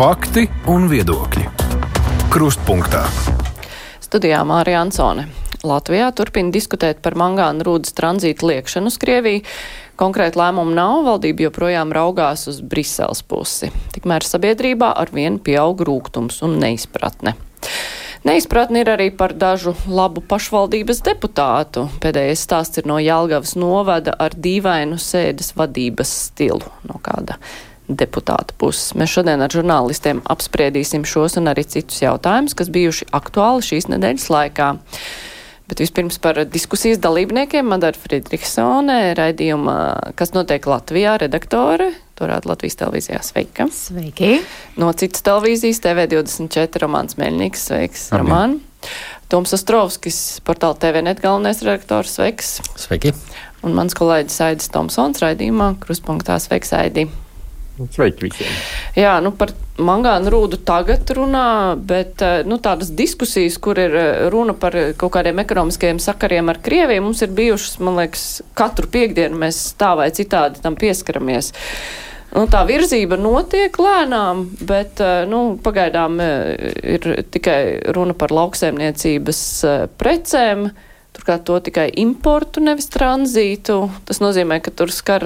Fakti un viedokļi. Krustpunktā. Studijā Mārija Ansone. Latvijā turpina diskutēt par mangāna rūdas tranzītu liekšanu uz Krieviju. Konkrēti lēmumu nav, valdība joprojām raugās uz Briseles pusi. Tikmēr sabiedrībā arvien pieaug rūgtums un neizpratne. Neizpratni ir arī par dažu labu pašvaldības deputātu. Pēdējais stāsts ir no Jelgavas novada ar dīvainu sēdes vadības stilu no kāda deputāta puses. Mēs šodien ar žurnālistiem apspriedīsim šos un arī citus jautājumus, kas bijuši aktuāli šīs nedēļas laikā. Bet vispirms par diskusijas dalībniekiem Madara Friedrichsone, raidījuma Kas notiek Latvijā redaktore, to rāda Latvijas televīzijā. Sveika! Sveiki! No citas televīzijas TV24 Romāns Meļņiks. Sveiks, Romān! Toms Ostrovskis, portāla TVNet galvenais redaktors. Sveiks! Sveiki! Un mans kolēģis Aidis Tomsons raidījumā Krustpunktā. Sveiks, Aidi! Sveiki visiem! Jā, par mangāna rūdu tagad runā, bet tādas diskusijas, kur ir runa par kaut kādiem ekonomiskajiem sakariem ar Krieviju, mums ir bijušas, man liekas, katru piekdienu mēs tā vai citādi tam pieskaramies. Tā virzība notiek lēnām, bet pagaidām ir tikai runa par lauksaimniecības precēm. Turklāt to tikai importu, nevis tranzītu. Tas nozīmē, ka tur skar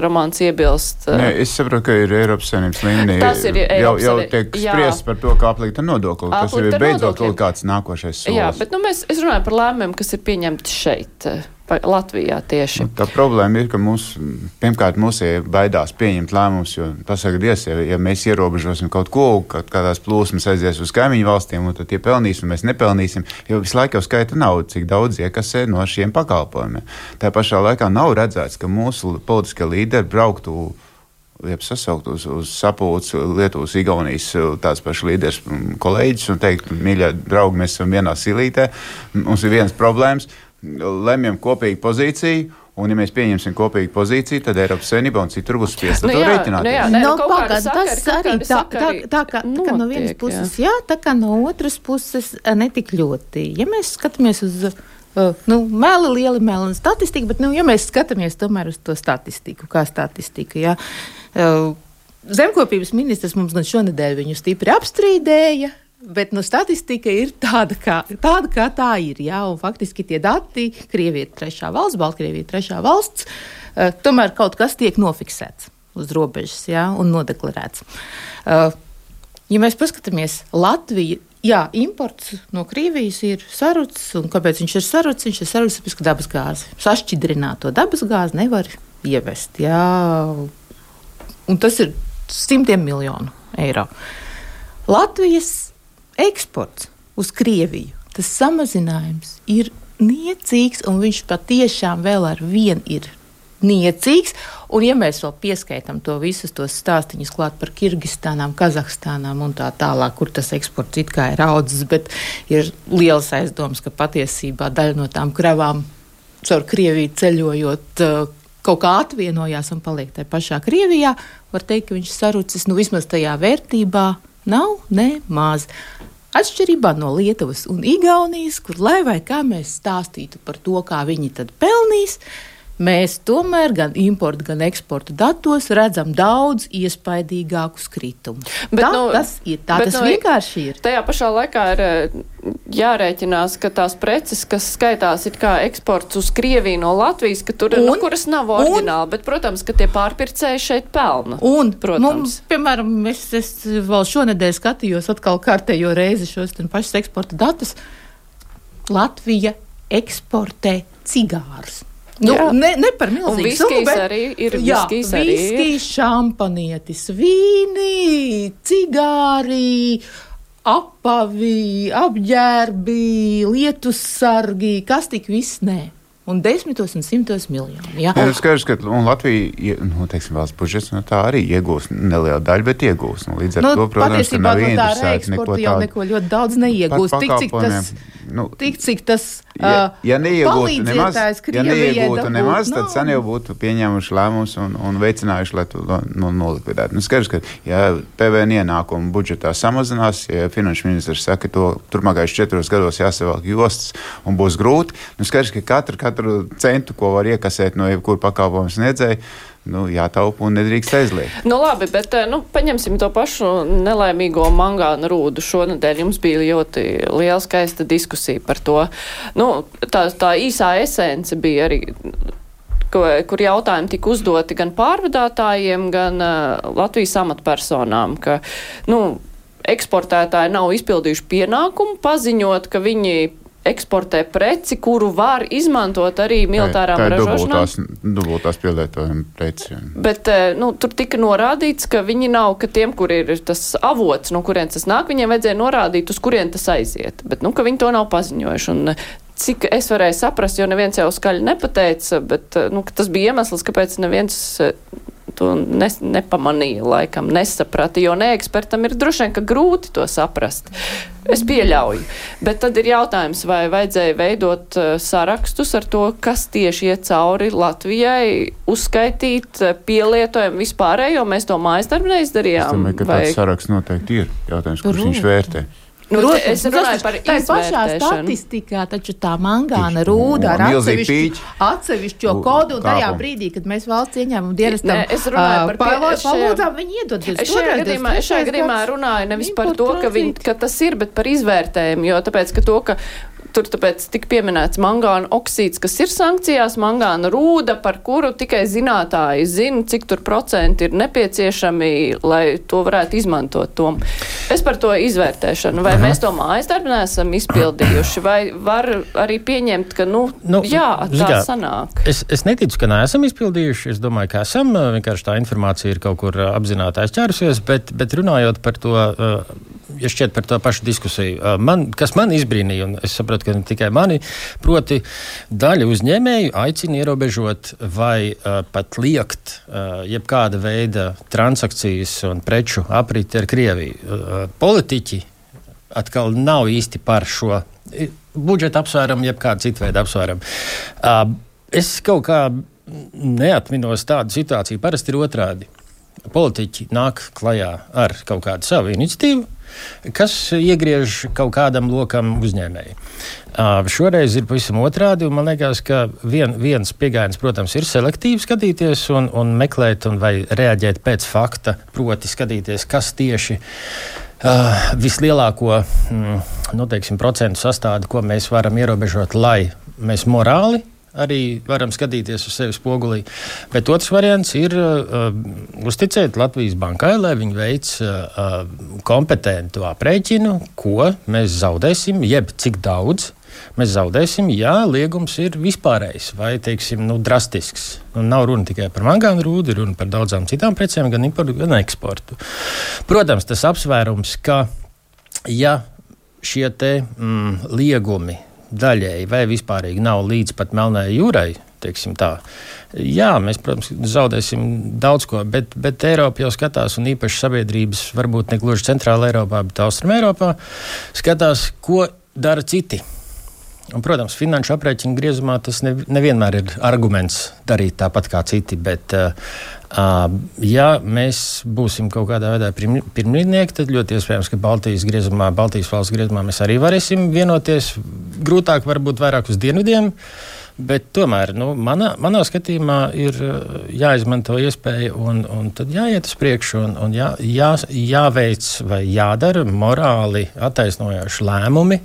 Romāns iebilst. Nē, es saprotu, ka ir Eiropas Savienības līmenī. Tas ir jau tiek spriests par to, kā aplikt ar nodokli. Tas ir beidzot kaut kāds nākošais solis. Jā, bet es runāju par lēmumiem, kas ir pieņemti šeit, Latvijā tieši. Tā problēma ir, ka pirmkārt mūsie baidās pieņemt lēmumus, jo pasaka, ja mēs ierobežosim kaut ko, kādās plūsmas aizies uz kaimiņu valstīm, un tad tie pelnīs, un mēs nepelnīsim, jo visu laiku jau skaita naudu, cik daudz iekasē no šiem pakalpojumiem. Tā pašā laikā nav redzēts, ka mūsu politiskie līderi brauktu sasaukt uz sapulci Lietuvas, Igaunijas tāds pašs līderis kolēģis un teikt, mīļie draugi, mēs esam vienā silītē, mums ir vienas problēmas, lemjam kopīgu pozīciju, un ja mēs pieņemsim kopīgu pozīciju, tad Eiropas Savienība un citur būs spiest ar to rēķināties. Tas arī tā kā no vienas puses, jā, tā kā no otras puses netik ļoti. Ja mēs skatāmies uz lieli un statistika, bet ja mēs skatāmies tomēr uz to statistiku, kā statistika, jā. Zemkopības ministrs mums gan šonedēļ viņu stipri apstrīdēja, bet statistika ir tāda, kā tā ir, jā, un faktiski tie dati, Krievija ir trešā valsts, Baltkrievija ir trešā valsts, tomēr kaut kas tiek nofiksēts uz robežas, jā, un nodeklarēts. Ja mēs paskatāmies Latviju, jā, imports no Krievijas ir sarucis, un kāpēc viņš ir sarucis? Viņš ir sarucis, tāpēc, ka dabas gāzi, sašķidrināto dabas gāzi nevar ievest, jā, un tas ir 100 miljonu eiro. Latvijas eksports uz Krieviju, tas samazinājums ir niecīgs, un viņš patiešām vēl ar vien ir niecīgs, un ja mēs vēl pieskaitam to visus tos stāstiņus klāt par Kirgistānām, Kazahstānām un tā tālāk, kur tas eksports it kā ir audzis, bet ir liels aizdoms, ka patiesībā daļa no tām kravām caur Krieviju ceļojot kaut kā atvienojās un paliek tajā pašā Krievijā, var teikt, ka viņš sarucis, vismaz tajā vērtībā nav nemaz. Atšķirībā no Lietuvas un Igaunijas, kur lai vai kā mēs stāstītu par to, kā viņi tad pelnīs, mēs tomēr gan importu, gan eksportu datos redzam daudz iespaidīgākus kritumus. Tas vienkārši ir. Tajā pašā laikā ir jārēķinās, ka tās preces, kas skaitās it kā eksports uz Krieviju no Latvijas, ka tur kuras nav oriģināli, bet, protams, ka tie pārpircēji šeit pelna. Un, piemēram, es vēl šonedēļ skatījos atkal kārtējo reizi šos pašus eksporta datus. Latvija eksportē cigārus. Ne par milzīgu summu, bet arī ir viskijs, šampanietis, vīni, cigāri, apavi, apģērbi, lietussargi, kas tik viss nē. Un 10 un 100 miljoni. Jā. Skaidrs, ka Latvija, valsts budžets, tā arī iegūs nelielu daļu, bet iegūs. Līdz ar to, protams, ka nav interesēti neko tādu. Jau neko ļoti daudz neiegūs. Tik, cik tas palīdzētājs Krievijai nemaz, tad sen jau būtu pieņēmuši lēmumus un veicinājuši, lai to nolikvidētu. Skaidrs, ka ja PVN ienākumu budžetā samazinās, ja finanšu ministrs saka, to turpmākajos 4 gados jāsavelk jostas un būs grūti, skaidrs, ka katru centu, ko var iekasēt no jebkura pakalpojumu sniedzēja, jātaupa un nedrīkst aizliegt. Labi, bet paņemsim to pašu nelaimīgo mangāna rūdu. Šonedēļ jums bija ļoti liela skaista diskusija par to. Tā īsā esence bija arī, kur jautājumi tika uzdoti gan pārvadātājiem, gan Latvijas amatpersonām, ka, eksportētāji nav izpildījuši pienākumu paziņot, ka viņi eksportē preci, kuru var izmantot arī militārām ražošanām. Tā ir dubultās pielietojuma preci. Bet, tur tika norādīts, ka viņi nav, ka tiem, kur ir tas avots, no kurien tas nāk, viņiem vajadzēja norādīt, uz kurien tas aiziet. Bet, ka viņi to nav paziņojuši. Un cik es varēju saprast, jo neviens jau skaļi nepateica, bet, tas bija iemesls, kāpēc neviens to nepamanīja, laikam, nesaprata, jo neekspertam ir droši vien, ka grūti to saprast. Es pieļauju. Bet tad ir jautājums, vai vajadzēja veidot sarakstus ar to, kas tieši iet cauri Latvijai, uzskaitīt pielietojumu vispārējo, mēs to mājasdarbu neizdarījām. Es domāju, ka tāds saraksts noteikti ir. Jautājums, kurš viņš vērtē. Es runāju par izvērtēšanu. Tā pašā statistikā, taču tā mangāna rūda ar atsevišķo kodu, un tajā brīdī, kad mēs valsts ieņēmumu dienestam palūdzām, viņi iedod. Es šajā gadījumā runāju nevis par to, ka tas ir, bet par izvērtējumu, jo tāpēc, ka to, ka tur tāpēc tika pieminēts mangāna oksīds, kas ir sankcijās, mangāna rūda, par kuru tikai zinātāji zina, cik tur procenti ir nepieciešami, lai to varētu izmantot. Es par to izvērtēšanu. Vai mēs to mājasdarbu neesam izpildījuši, vai var arī pieņemt, ka, tā sanāk? Es neticu, ka neesam izpildījuši. Es domāju, ka esam. Vienkārši tā informācija ir kaut kur apzināti aizķērusies, bet runājot par to, ja šķiet par to pašu diskusiju, kas man izbrīnīja, un es saprotu, ka ne tikai mani, proti daļa uzņēmēju aicina ierobežot vai pat liekt jebkāda veida transakcijas un preču apriti ar Krieviju. Politiķi atkal nav īsti par šo budžeta apsvērumu, jebkādu citu veidu apsvērumu. Es kaut kā neatminos tādu situāciju, parasti ir otrādi. Politiķi nāk klajā ar kaut kādu savu iniciatīvu, kas iegriež kaut kādam lokam uzņēmēji. Šoreiz ir pavisam otrādi, un man liekas, ka viens pieejams, protams, ir selektīvi skatīties un meklēt vai reaģēt pēc fakta, proti skatīties, kas tieši vislielāko procentu sastādu, ko mēs varam ierobežot, lai mēs morāli arī varam skatīties uz sevi spogulī. Bet otrs variants ir uzticēt Latvijas bankai, lai viņi veic kompetentu aprēķinu, ko mēs zaudēsim, jeb cik daudz mēs zaudēsim, ja liegums ir vispārējs vai, drastisks. Nav runa tikai par mangānu rūdu, ir runa par daudzām citām precēm, gan importu, gan eksportu. Protams, tas apsvērums, ka ja šie te liegumi daļēji vai vispārīgi nav līdz pat Melnējai jūrai, teiksim tā. Jā, mēs, protams, zaudēsim daudz ko, bet Eiropa jau skatās, un īpaši sabiedrības, varbūt ne gluži centrāla Eiropā, bet Austrum Eiropā, skatās, ko dara citi. Un, protams, finanšu aprēķinu griezumā tas nevienmēr ir arguments darīt tāpat kā citi, bet ja mēs būsim kaut kādā veidā pirmrīdnieki, tad ļoti iespējams, ka Baltijas valsts griezumā mēs arī varēsim vienoties. Grūtāk varbūt vairāk uz dienvidiem, bet tomēr, manā skatījumā ir jāizmanto iespēja un tad jāiet uz priekšu un jāveic vai jādara morāli attaisnojoši lēmumi,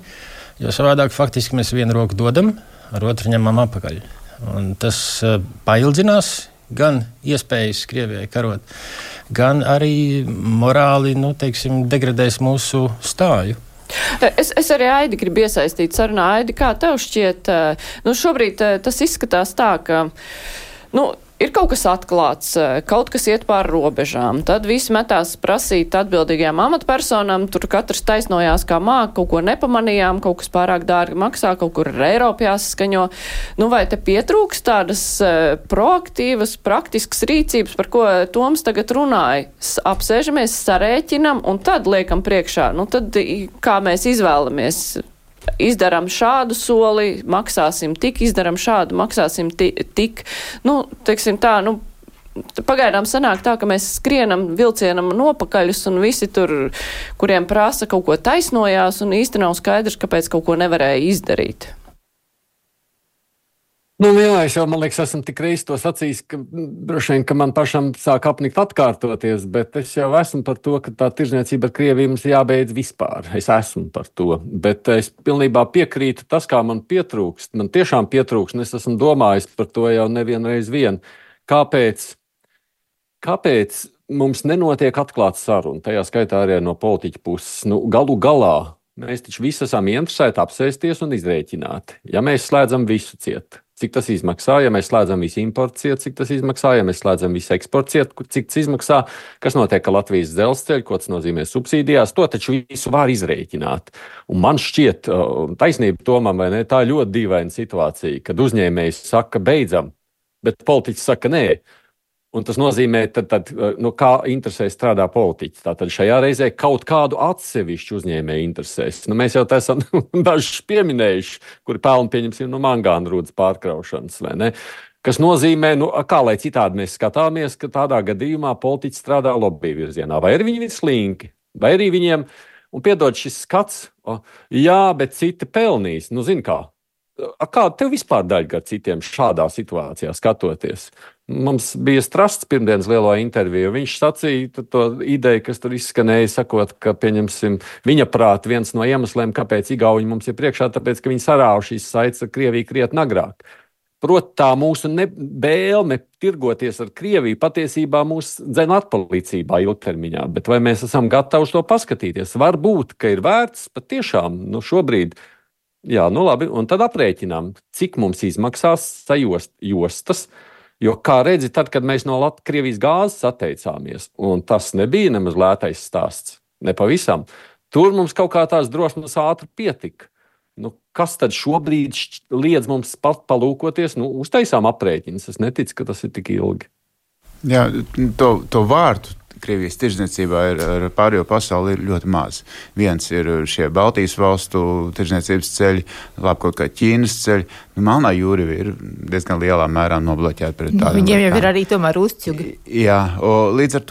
jo savādāk faktiski mēs vienu roku dodam, ar otru ņemam apakaļ. Un tas paildzinās gan iespējas Krievijai karot, gan arī morāli, degradēs mūsu stāju. Es arī Aidi gribu iesaistīt sarunā. Aidi, kā tev šķiet, šobrīd tas izskatās tā, ka, ir kaut kas atklāts, kaut kas iet pāri robežām. Tad visi metās prasīt atbildīgajām amatpersonām, tur katrs taisnojās kā māk, kaut ko nepamanījām, kaut kas pārāk dārgi maksā, kaut kur ar Eiropu jāsaskaņo. Vai te pietrūks tādas proaktīvas, praktiskas rīcības, par ko Toms tagad runāja? Apsēžamies, sarēķinam un tad liekam priekšā. Tad kā mēs izvēlamies? Izdaram šādu soli, maksāsim tik, izdaram šādu, maksāsim tik. Pagaidām sanāk tā, ka mēs skrienam vilcienam nopakaļus un visi tur, kuriem prasa kaut ko taisnojās un īsti nav skaidrs, kāpēc kaut ko nevarēja izdarīt. Nu, jā, es jau, man liekas, esmu tik reiz to sacījis, ka droši vien, ka man pašam sāk apnikt atkārtoties, bet es jau esmu par to, ka tā tirdzniecība ar Krieviju mums jābeidz vispār. Es esmu par to, bet es pilnībā piekrītu tas, kā man pietrūkst. Man tiešām pietrūkst, un es esmu domājis par to jau nevienreiz vien. Kāpēc mums nenotiek atklāta saruna, tajā skaitā arī no politiķa puses? Nu, galu galā mēs taču visi esam interesēti apsēsties un izrēķināt. Ja mēs slēdzam visu ciet, cik tas izmaksā, ja mēs slēdzam visu importu ciet, cik tas izmaksā, ja mēs slēdzam visu eksportu ciet, cik tas izmaksā, kas notiek ar Latvijas dzelzceļu, ko tas nozīmē subsīdijās, to taču visu var izrēķināt. Un man šķiet, taisnība Tomam, vai ne, tā ļoti dīvaina situācija, kad uzņēmējs saka beidzam, bet politiķis saka nē. Un tas nozīmē, kā interesē strādā politiķis. Tātad šajā reizē kaut kādu atsevišķu uzņēmēju interesēs. Mēs jau tā esam dažus pieminējuši, kuri pelna, pieņemsim, no mangāna rūdas pārkraušanas, vai ne? Kas nozīmē, kā lai citādi mēs skatāmies, ka tādā gadījumā politiķis strādā lobby virzienā. Vai arī viņi ir slinki, vai arī viņiem, un piedod šis skats, jā, bet citi pelnīs. Nu, zin kā. Kāda tev vispār daļa ar citiem šādā situācijā skatoties? Mums bija Strasts pirmdienas lielo interviju. Viņš sacīja to ideju, kas tur izskanēja, sakot, ka, pieņemsim, viņa prāt viens no iemesliem, kāpēc Igauņi mums ir priekšā, tāpēc, ka viņi sarāva šīs saites ar Krieviju krietni agrāk. Proti, tā mūsu vēlme tirgoties ar Krieviju patiesībā mūs dzen atpalīdzībā ilgtermiņā. Bet vai mēs esam gatavi uz to paskatīties? Varbūt, ka ir vērts patiešām šobrīd. Jā, labi, un tad aprēķinām, cik mums izmaksās sajostas, jo, kā redzi, tad, kad mēs no Krievijas gāzes atteicāmies, un tas nebija nemaz lētais stāsts, nepavisam, tur mums kaut kā tās drosmes ātri pietika. Kas tad šobrīd liedz mums pat palūkoties? Uztaisām aprēķins, es neticu, ka tas ir tik ilgi. Jā, to vārtu Krievijas tirdzniecībā ar pārējo pasauli ir ļoti maz. Viens ir šie Baltijas valstu tirdzniecības ceļi, labi kaut kā Ķīnas ceļi. Melnā jūra ir diezgan lielā mērā nobloķēta pret tādiem. Viņiem jau ir arī tomēr uzķugi. Jā, līdz ar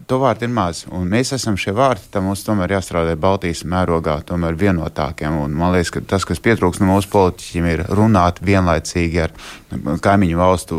to vārtu ir maz. Un mēs esam šie vārti, tā mums tomēr jāstrādā Baltijas mērogā, tomēr vienotākiem. Un man liekas, ka tas, kas pietrūkst no mūsu politiķiem, ir runāt vienlaicīgi ar kaimiņu valstu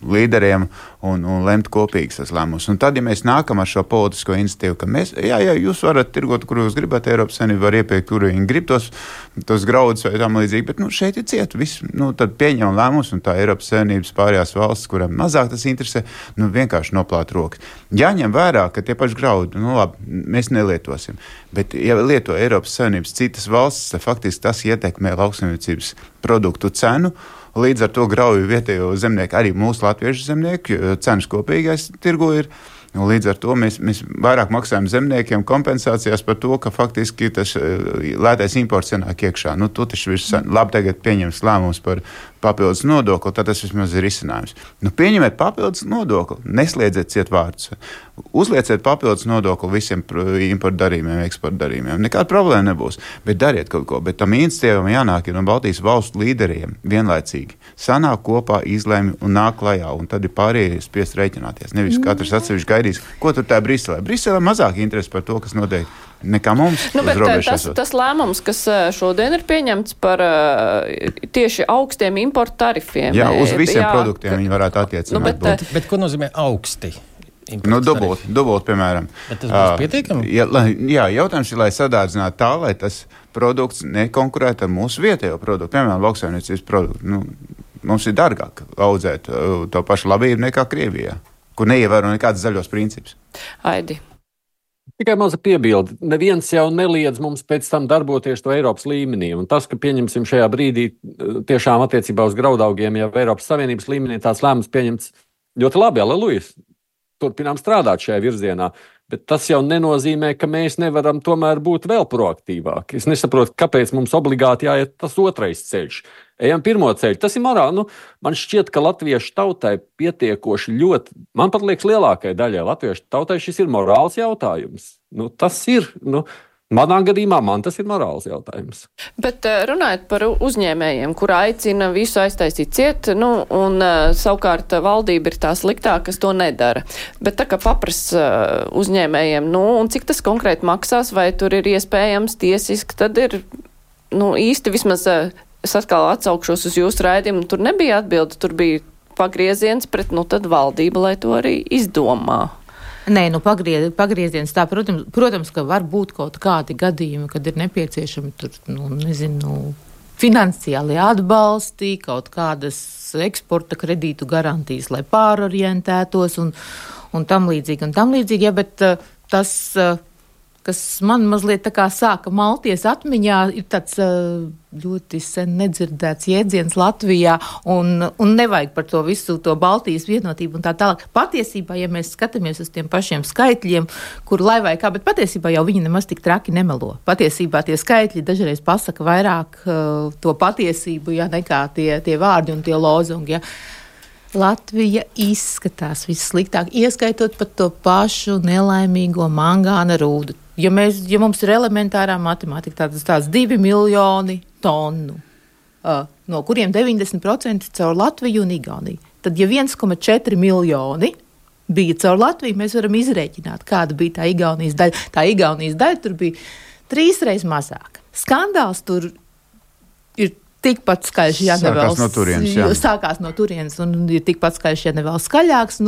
līderiem un lemt kopīgas tas lēmumus. Un tad, ja mēs nākam ar šo politisko iniciatīvu, ka mēs, jā, jūs varat tirgot, kur jūs gribat, Eiropas Savienība var iepirkt, kur viņi grib tos graudus vai tam līdzīgi, bet šeit ir ciet viss. Tad pieņem lēmumus, un tā Eiropas Savienības pārējās valsts, kurām mazāk tas interesē, vienkārši noplāt rokas. Jāņem vērā, ka tie paši graudi, labi, mēs nelietosim. Bet, ja lieto Eiropas Savienības citas valstis, tad faktiski tas ietekmē lauksaimniecības produktu cenu. Līdz ar to grauju vietējo zemnieku, arī mūsu latviešu zemnieku, cenas kopīgais tirgu ir. Līdz ar to mēs vairāk maksājam zemniekiem kompensācijās par to, ka faktiski tas lētais imports ienāk iekšā. Tu taču labi tagad pieņems lēmums par papildus nodokli, tad tas vismaz ir risinājums. Pieņemiet papildus nodokli, nesliedziet ciet vārdus. Uzlieciet papildus nodokli visiem importu darījumiem, eksporta darījumiem. Nekāda problēma nebūs, bet dariet kaut ko. Bet tam iniciatīvam jānāk no Baltijas valstu līderiem vienlaicīgi. Sanāk kopā, izlemj un nāk klajā, un tad ir pārējie spiest rēķināties. Nevis katrs atsevišķi gaidīs, ko tur tā Briselē. Briselē mazāk interesi par to, kas notiek nekā mums. Tas lēmums, kas šodien ir pieņemts par tieši augstiem importu tarifiem. Jā, uz visiem produktiem viņi varētu attiecināt. Bet ko nozīmē augsti? Dubult, piemēram. Bet tas būs pietiekami? Jā, jautājums ir, lai sadārdzinātu tā, lai tas produkts nekonkurētu ar mūsu vietējo produktu. Piemēram, lauksaimniecības produktu. Mums ir dārgāk audzēt to pašu labību nekā Krievijā, kur neievēro nekādas zaļos principus. Aidi. Tikai maza piebilde. Neviens jau neliedz mums pēc tam darboties to Eiropas līmenī. Un tas, ka pieņemsim šajā brīdī tiešām attiecībā uz graudaugiem, ja Eiropas Savienības līmenī tāds lēmums pieņemts ļoti labi, alelujas. Turpinām strādāt šajā virzienā. Bet tas jau nenozīmē, ka mēs nevaram tomēr būt vēl proaktīvāki. Es nesaprotu, kāpēc mums obligāti jāiet tas otrais ceļš. Ejam pirmo ceļu. Tas ir morāli. Man šķiet, ka latviešu tautai pietiekoši ļoti, man pat liekas lielākajai daļai latviešu tautai šis ir morāls jautājums. Tas ir, manā gadījumā tas ir morāls jautājums. Bet runājot par uzņēmējiem, kur aicina visu aiztaisīt ciet, un savukārt valdība ir tā sliktā, kas to nedara. Bet tā kā paprasa uzņēmējiem, un cik tas konkrēti maksās, vai tur ir iespējams tiesiski, tad ir īsti vismaz es atkal atsaukšos uz jūsu raidījumu, tur nebija atbilde, tur bija pagrieziens pret, tad valdība, lai to arī izdomā. Nē, pagrieziens tā, protams, ka var būt kaut kādi gadījumi, kad ir nepieciešami tur, finansiāli atbalsti, kaut kādas eksporta kredītu garantijas, lai pārorientētos un tam līdzīgi, ja, bet tas, kas man mazliet tā kā sāka malties atmiņā, ir tāds ļoti sen nedzirdēts jēdziens Latvijā, un nevajag par to visu to Baltijas vienotību un tā tālāk. Patiesībā, ja mēs skatāmies uz tiem pašiem skaitļiem, kur lai vai kā, bet patiesībā jau viņi nemaz tik traki nemelo. Patiesībā tie skaitļi dažreiz pasaka vairāk to patiesību, ja, nekā tie vārdi un tie lozungi, ja. Latvija izskatās vissliktāk, ieskaitot pat to pašu nelaimīgo mangāna rūdu. Ja mums ir elementārā matemātika, tāds 2 miljoni tonu, no kuriem 90% caur Latviju un Igauniju, tad ja 1,4 miljoni bija caur Latviju, mēs varam izrēķināt, kāda bija tā Igaunijas daļa. Tā Igaunijas daļa tur bija 3 reizes mazāka. Skandāls tur ir tikpat skaļš, ja nevēl sākās no turienes un ir tikpat skaļš, ja nevēl skaļāks.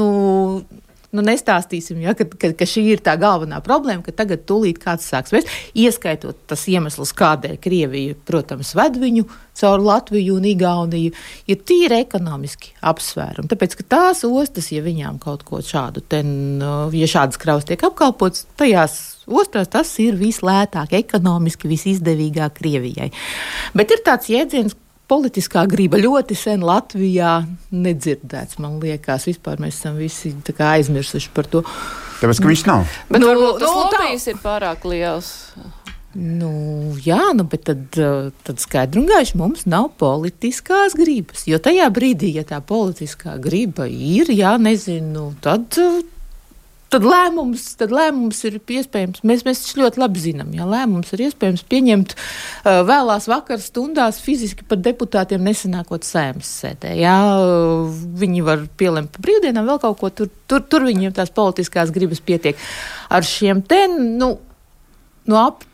Nestāstīsim, ja, ka šī ir tā galvenā problēma, ka tagad tūlīt kāds sāks vēst, ieskaitot tas iemesls, kādēļ Krievija, protams, ved viņu caur Latviju un Igauniju, ir tīri ekonomiski apsvērumi. Tāpēc, ka tās ostas, ja viņām kaut ko šādu, ja šādas kravas tiek apkalpots, tajās ostās tas ir vislētāk, ekonomiski visizdevīgāk Krievijai. Bet ir tāds jēdziens, politiskā griba ļoti sen Latvijā nedzirdēts, man liekas. Vispār mēs esam visi tā kā aizmirsuši par to. Tāpēc, ka viņš nav. Bet tas lobijs ir pārāk liels. Jā, bet tad skaidri un gaiši mums nav politiskās gribas. Jo tajā brīdī, ja tā politiskā griba ir, tad lēmums ir iespējams, mēs ļoti labi zinām, ja lēmums ir iespējams pieņemt vēlās vakaras stundās fiziski pat deputātiem nesanākot Saeimas sēdē. Ja, viņi var pielemt pa brīvdienām vēl kaut ko, tur viņiem tās politiskās gribas pietiek. Ar šiem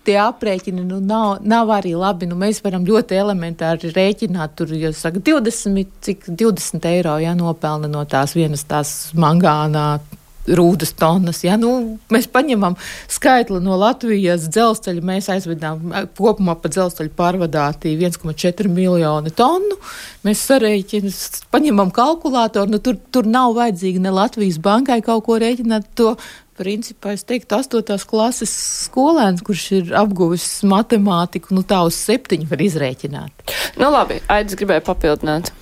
tie aprēķini nav arī labi. Mēs varam ļoti elementāri rēķināt, tur, ja saka 20 eiro, ja nopelna no tās vienas tās mangānā rūdas tonnas. Ja? Mēs paņemam skaitli no Latvijas dzelzceļa, mēs aizvedām kopumā pa dzelzceļu pārvadāti 1,4 miljoni tonu. Mēs paņemam kalkulātoru, tur nav vajadzīgi ne Latvijas bankai kaut ko rēķināt to. Principā, es teiktu, 8. klases skolēns, kurš ir apguvis matemātiku, tā uz 7 var izrēķināt. Labi, Aidis gribēja papildināt.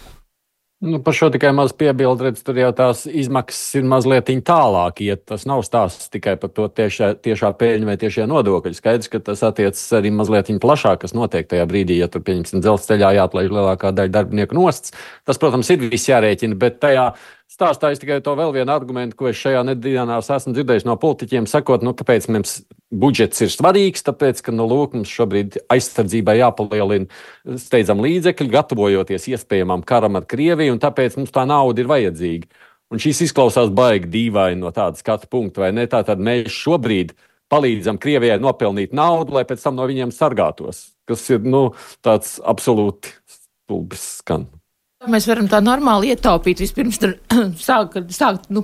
Par šo tikai maz piebildu, redz, tur jau tās izmaksas ir mazliet tālāk iet. Tas nav stāsts tikai par to tiešā peļņa vai tiešie nodokļi. Skaidrs, ka tas attiecas arī mazliet plašāk, kas notiek tajā brīdī, ja tur, pieņemsim, dzelzceļā jāatlaiž lielākā daļa darbinieku nost. Tas, protams, ir viss jārēķina, bet tajā stāstā es tikai to vēl vienu argumentu, ko es šajā nedēļās esmu dzirdējis no politiķiem, sakot, kāpēc mums budžets ir svarīgs, tāpēc, ka, mums šobrīd aizsardzībai jāpalielina steidzam līdzekļi, gatavojoties iespējamam karam ar Krieviju, un tāpēc mums tā nauda ir vajadzīga. Un šis izklausās baigi dīvaini no tāda skatu punkta, vai ne? Tātad mēs šobrīd palīdzam Krievijai nopelnīt naudu, lai pēc tam no viņiem sargātos, kas ir, tāds absolūti stulbis skan. Mēs varam tā normāli ietaupīt, vispirms sākt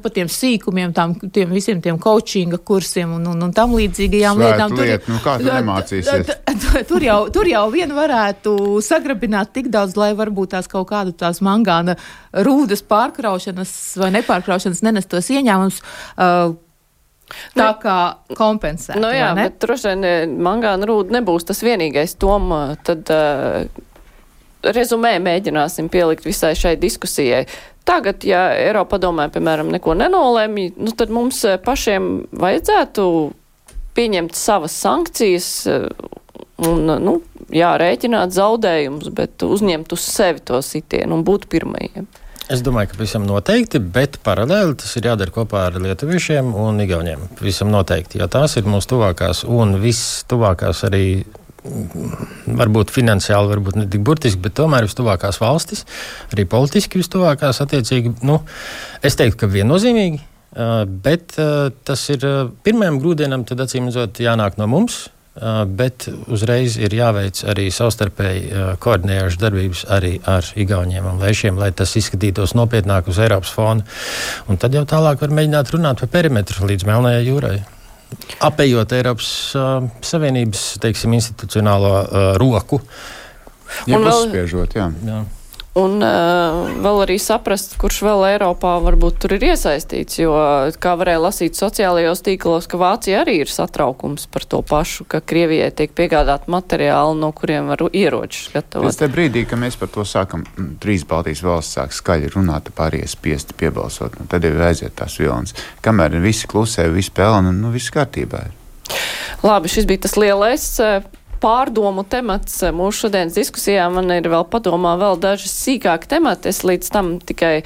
pa tiem sīkumiem, tiem visiem tiem coachinga kursiem un tam līdzīgajām lietām. Kā tu nemācīsies? Tur jau vien varētu sagrabināt tik daudz, lai varbūt tās kaut kādu tās mangāna rūdas pārkraušanas vai nepārkraušanas nenestos ieņēmums. Tā kā kompensēt. Bet droši vien mangāna rūda nebūs tas vienīgais. Tad rezumē mēģināsim pielikt visai šai diskusijai. Tagad, ja Eiropadomē, piemēram, neko nenolēmj, tad mums pašiem vajadzētu pieņemt savas sankcijas un, rēķināt zaudējumus, bet uzņemt uz sevi to sitienu un būt pirmajiem. Es domāju, ka visam noteikti, bet paralēli tas ir jādara kopā ar lietuviešiem un igauniem. Visam noteikti, jo tās ir mūsu tuvākās un viss tuvākās arī varbūt finansiāli, varbūt ne tik burtiski, bet tomēr vistuvākās valstis, arī politiski vistuvākās attiecīgi, es teiktu, ka viennozīmīgi, bet tas ir pirmajam grūdienam, tad acīm redzot jānāk no mums, bet uzreiz ir jāveic arī savstarpēji koordinējošas darbības arī ar Igauniem un Lēšiem, lai tas izskatītos nopietnāk uz Eiropas fona. Un tad jau tālāk var mēģināt runāt par perimetru līdz Melnajai jūrai. Apējot Eiropas Savienības, teiksim, institucionālo roku. Ja uzspiežot, jā. Un vēl arī saprast, kurš vēl Eiropā varbūt tur ir iesaistīts, jo, kā varēja lasīt sociālajos tīklos, ka Vācija arī ir satraukums par to pašu, ka Krievijai tiek piegādāt materiāli, no kuriem var ieročus gatavot. Pēc te brīdī, ka mēs par to sākam, 3 Baltijas valsts sāk skaļi runāt, pārējie spiesti piebalsot, tad jau aiziet tās vilnas. Kamēr visi klusē, visi pelna, viss kārtībā ir. Labi, šis bija tas lielais pārdomu temats mūsu šodienas diskusijā. Man ir vēl padomā vēl daži sīkāki temati. Es līdz tam tikai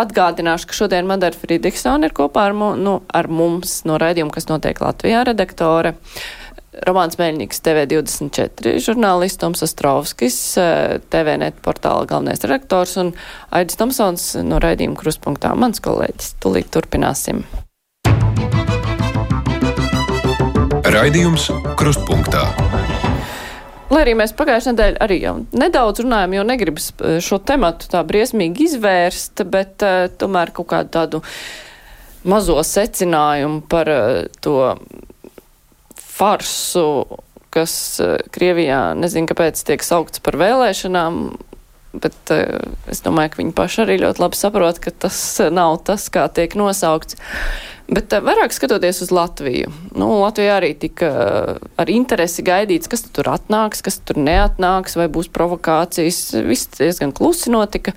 atgādināšu, ka šodien Madara Fridriksone ir kopā ar mums no raidījuma, kas notiek Latvijā, redaktore. Romāns Meļņiks, TV24 žurnālists, Toms Ostrovskis, TVNet portāla galvenais redaktors un Aidis Tomsons no raidījuma Krustpunktā. Mans kolēģis. Tūlīt turpināsim. Raidījums Krustpunktā. Lai arī mēs pagājušajā nedēļā arī jau nedaudz runājam, jo negribas šo tematu tā briesmīgi izvērst, bet tomēr kaut kādu tādu mazo secinājumu par to farsu, kas Krievijā, nezinu, kāpēc tiek saukts par vēlēšanām, bet es domāju, ka viņi paši arī ļoti labi saprot, ka tas nav tas, kā tiek nosaukts. Bet vairāk skatoties uz Latviju. Latvijā arī tika ar interesi gaidīts, kas tur atnāks, kas tur neatnāks, vai būs provokācijas. Viss diezgan klusi notika.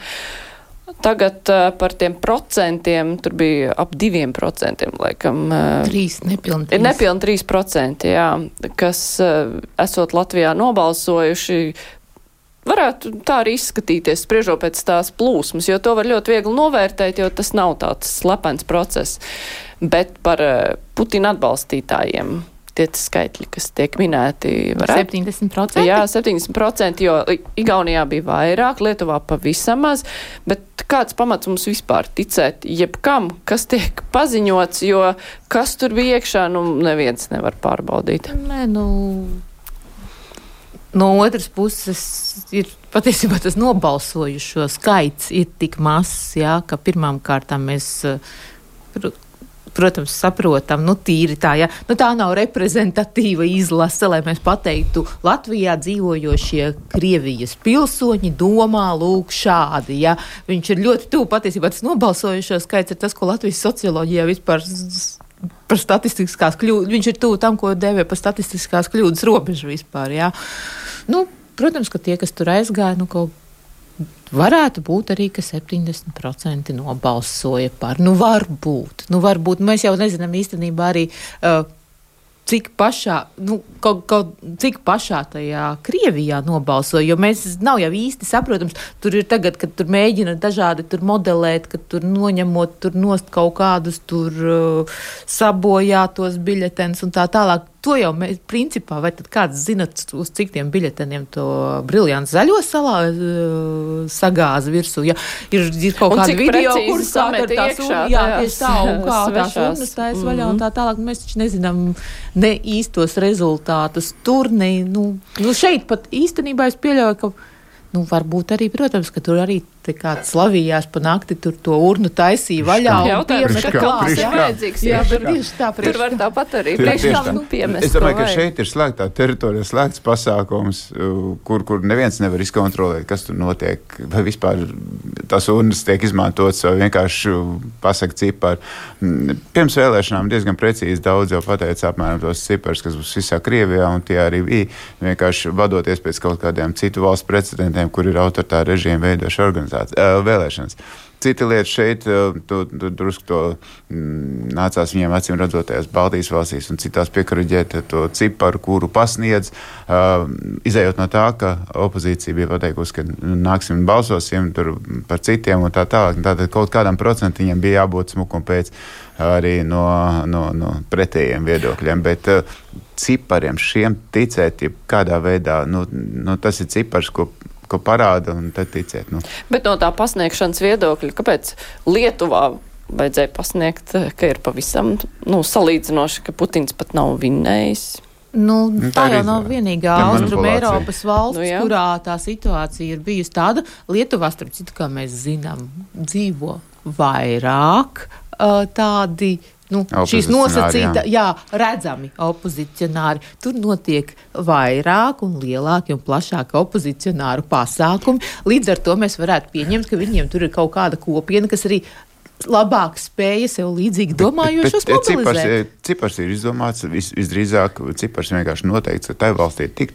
Tagad par tiem procentiem, tur bija ap 2%, laikam. 3, nepilni 3. Ir nepilni 3%, jā, kas esot Latvijā nobalsojuši, varētu tā arī izskatīties, spriežot pēc tās plūsmas, jo to var ļoti viegli novērtēt, jo tas nav tāds slepens process. Bet par Putina atbalstītājiem tie skaitļi, kas tiek minēti, varētu 70%? Jā, 70%, jo Igaunijā bija vairāk, Lietuvā pavisam maz, bet kāds pamats mums vispār ticēt jebkam, kas tiek paziņots, jo kas tur bija iekšā, neviens nevar pārbaudīt. Nē, no otras puses ir patiesībā tas nobalsojušo skaits ir tik mazs, jā, ka pirmām kārtām mēs, protams, saprotam, tīri tā, ja. Tā nav reprezentatīva izlase, lai mēs pateiktu, Latvijā dzīvojošie Krievijas pilsoņi domā lūk šādi, ja. Viņš ir ļoti tuvu, patiesībā tas nobalsojušo skaits ir tas, ko Latvijas socioloģijā vispār par statistiskās kļūdas, viņš ir tuvu tam, ko dēvē par statistiskās kļūdas robežu vispār, jā. Protams, ka tie, kas tur aizgāja, kaut varētu būt arī, ka 70% nobalsoja par. Varbūt. Mēs jau nezinām īstenībā arī, cik pašā, cik pašā tajā Krievijā nobalsoja, jo mēs nav jau īsti saprotams, tur ir tagad, kad tur mēģina dažādi tur modelēt, kad tur noņemot tur nost kaut kādus tur sabojātos biļetenus un tā tālāk. To jau mēs, principā, vai tad kāds zinat, uz cik tiem biļeteniem to briljants zaļo salā sagāza virsū, ja ir kaut kāda video, kur samet iekšā, tieši tā, un kā tās urnas taisa vaļā un tā tālāk, mēs taču nezinām ne īstos rezultātus tur, šeit pat īstenībā es pieļauju, ka varbūt arī, protams, ka tur arī kāds slavījās pa nakti, tur to urnu taisīja vaļā un piemeta klāt. Jā, bet tieši tā, tur var tāpat arī piemest. Es domāju, ka šeit ir slēgtā teritorija, slēgts pasākums, kur neviens nevar izkontrolēt, kas tur notiek, vai vispār tās urnas tiek izmantotas, vai vienkārši pasaka cipari. Pirms vēlēšanām diezgan precīzi daudz jau pateica apmēram tos ciparus, kas būs visā Krievijā, un tie arī bija vienkārši vadoties pēc kaut kādiem citu valstu precedentiem, kur ir autoritāra režīma veidoša vēlēšanas. Cita lieta šeit, drusku to nācās viņiem acīm redzotajās Baltijas valstīs un citās piekaraģēt to ciparu, kuru pasniedz, izējot no tā, ka opozīcija bija pateikusi, ka nāksim un balsosim tur par citiem un tā tālāk. Tātad kaut kādam procentiņam bija jābūt smukam pēc arī no pretējiem viedokļiem, bet cipariem šiem ticēt, kādā veidā, tas ir cipars, ko parāda un tad ticēt. Bet no tā pasniegšanas viedokļa, kāpēc Lietuvā vajadzēja pasniegt, ka ir pavisam salīdzinoši, ka Putins pat nav vinnējis? Tā jau nav vienīgā Austrum Eiropas valsts, kurā tā situācija ir bijusi tāda. Lietuvā, starp citu, kā mēs zinām, dzīvo vairāk tādi, šīs nosacīta, redzami opozicionāri. Tur notiek vairāk un lielāki un plašāki opozicionāru pasākumi. Līdz ar to mēs varētu pieņemt, ka viņiem tur ir kaut kāda kopiena, kas arī labāk spēja sev līdzīgi domājošos mobilizēt. Cipars ir izdomāts, visdrīzāk cipars vienkārši noteikts, ka tai valstī ir tik,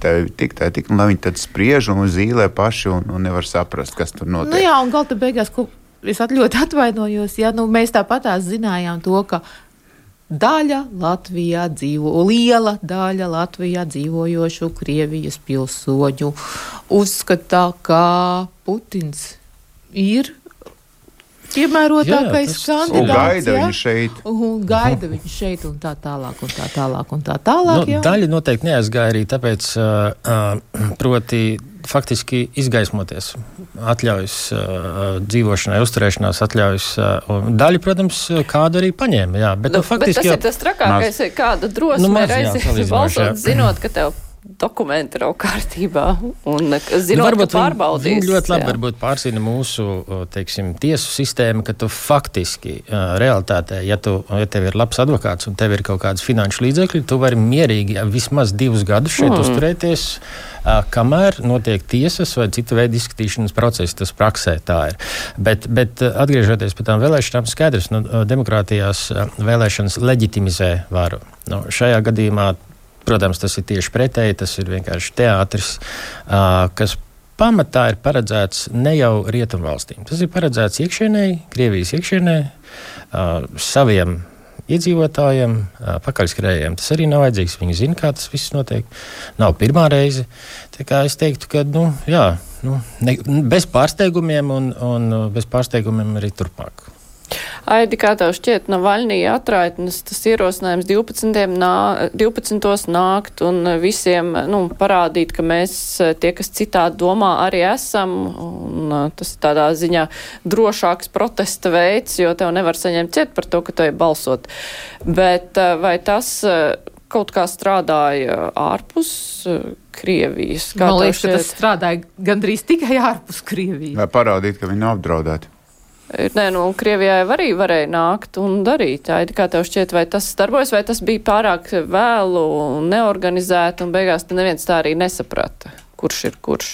un lai viņi tad spriež un zīlē paši un nevar saprast, kas tur notiek. Un galta beigās, es ļoti atvainojos, mēs tāpatās zinājām to, ka liela daļa Latvijā dzīvojošu Krievijas pilsoņu uzskata, ka Putins ir piemērotākais kandidāts. Un gaida viņu šeit un tā tālāk. Daļa noteikti neaizgāja arī tāpēc, proti faktiski izgaismoties, atļaujas dzīvošanai, uzturēšanās atļaujas. Daļa, protams, kādu arī paņēma, bet faktiski bet tas ir tas trakākais, kāda drosme aizies balsot, zinot, ka tev dokumenti nav kārtībā un zinot, ka pārbaudīs. Viņi ļoti labi varbūt pārzina mūsu, tiesu sistēmu, ka tu faktiski realitātē, ja tev ir labs advokāts un tev ir kaut kādas finanšu līdzekļi, tu vari mierīgi vismaz 2 gadus šeit uzturēties, kamēr notiek tiesas vai cita veida izskatīšanas procesi. Tas praksē tā ir. Bet atgriežoties pie tām vēlēšanām, skaidrs, demokrātijās vēlēšanas leģitimizē varu. Šajā gadījumā, protams, tas ir tieši pretēji, tas ir vienkārši teātris, kas pamatā ir paredzēts ne jau rietumvalstīm. Tas ir paredzēts iekšienēji, Krievijas iekšienēji, saviem iedzīvotājiem, pakaļskrējiem. Tas arī nav vajadzīgs. Viņi zina, kā tas viss notiek. Nav pirmā reize. Tā kā es teiktu, ka, bez pārsteigumiem un bez pārsteigumiem arī turpmāk. Aidi, kā tev šķiet, Navaļnija atraitnes, tas ierosinājums 12. nākt un visiem parādīt, ka mēs, tie, kas citādi domā, arī esam, un tas ir tādā ziņā drošāks protesta veids, jo tev nevar saņemt ciet par to, ka tu ej balsot. Bet vai tas kaut kā strādāja ārpus Krievijas? Man liekas, ka tas strādāja gandrīz tikai ārpus Krievijas. Vai parādīt, ka viņi nav apdraudēti? Krievijai arī varēja nākt un darīt. Aidi, kā tev šķiet, vai tas darbojas, vai tas bija pārāk vēlu un neorganizēti, un beigās neviens tā arī nesaprata, kurš ir kurš?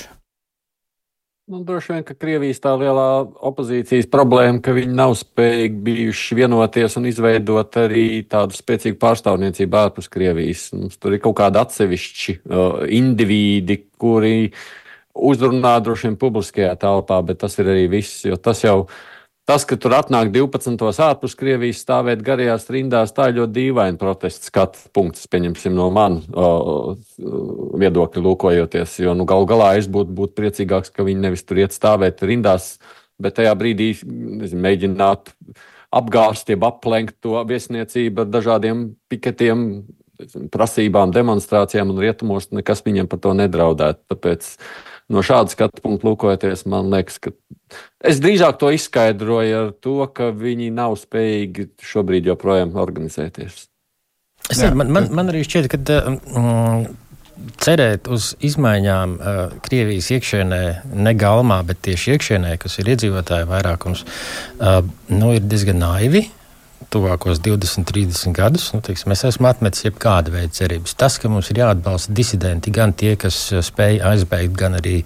Droši vien, ka Krievijas tā lielā opozīcijas problēma, ka viņi nav spējīgi bijuši vienoties un izveidot arī tādu spēcīgu pārstāvniecību ārpus Krievijas. Tur ir kaut kādi atsevišķi indivīdi, kuri uzrunā droši vien publiskajā telpā, bet tas ir arī viss, jo tas, ka tur atnāk 12. ārpus Krievijas stāvēt garajās rindās, tā ir ļoti dīvaina protests skatu punkts, pieņemsim no manu viedokļu lūkojoties, jo galu galā es būtu priecīgāks, ka viņi nevis tur iet stāvēt rindās, bet tajā brīdī mēģināt apgāst, jeb aplenkt to viesniecību ar dažādiem piketiem, prasībām, demonstrācijām un rietumos, nekas viņiem par to nedraudētu. Tāpēc no šāda skatu punkta lūkojoties, man liekas, ka es drīzāk to izskaidroju ar to, ka viņi nav spējīgi šobrīd joprojām organizēties. Man arī šķiet, ka cerēt uz izmaiņām Krievijas iekšienē, ne galmā, bet tieši iekšienē, kas ir iedzīvotāju vairākums, ir diezgan naivi. Tuvākos 20-30 gadus, es esmu atmetis jebkāda veida cerības. Tas, ka mums ir jāatbalsta disidenti, gan tie, kas spēja aizbēgt, gan arī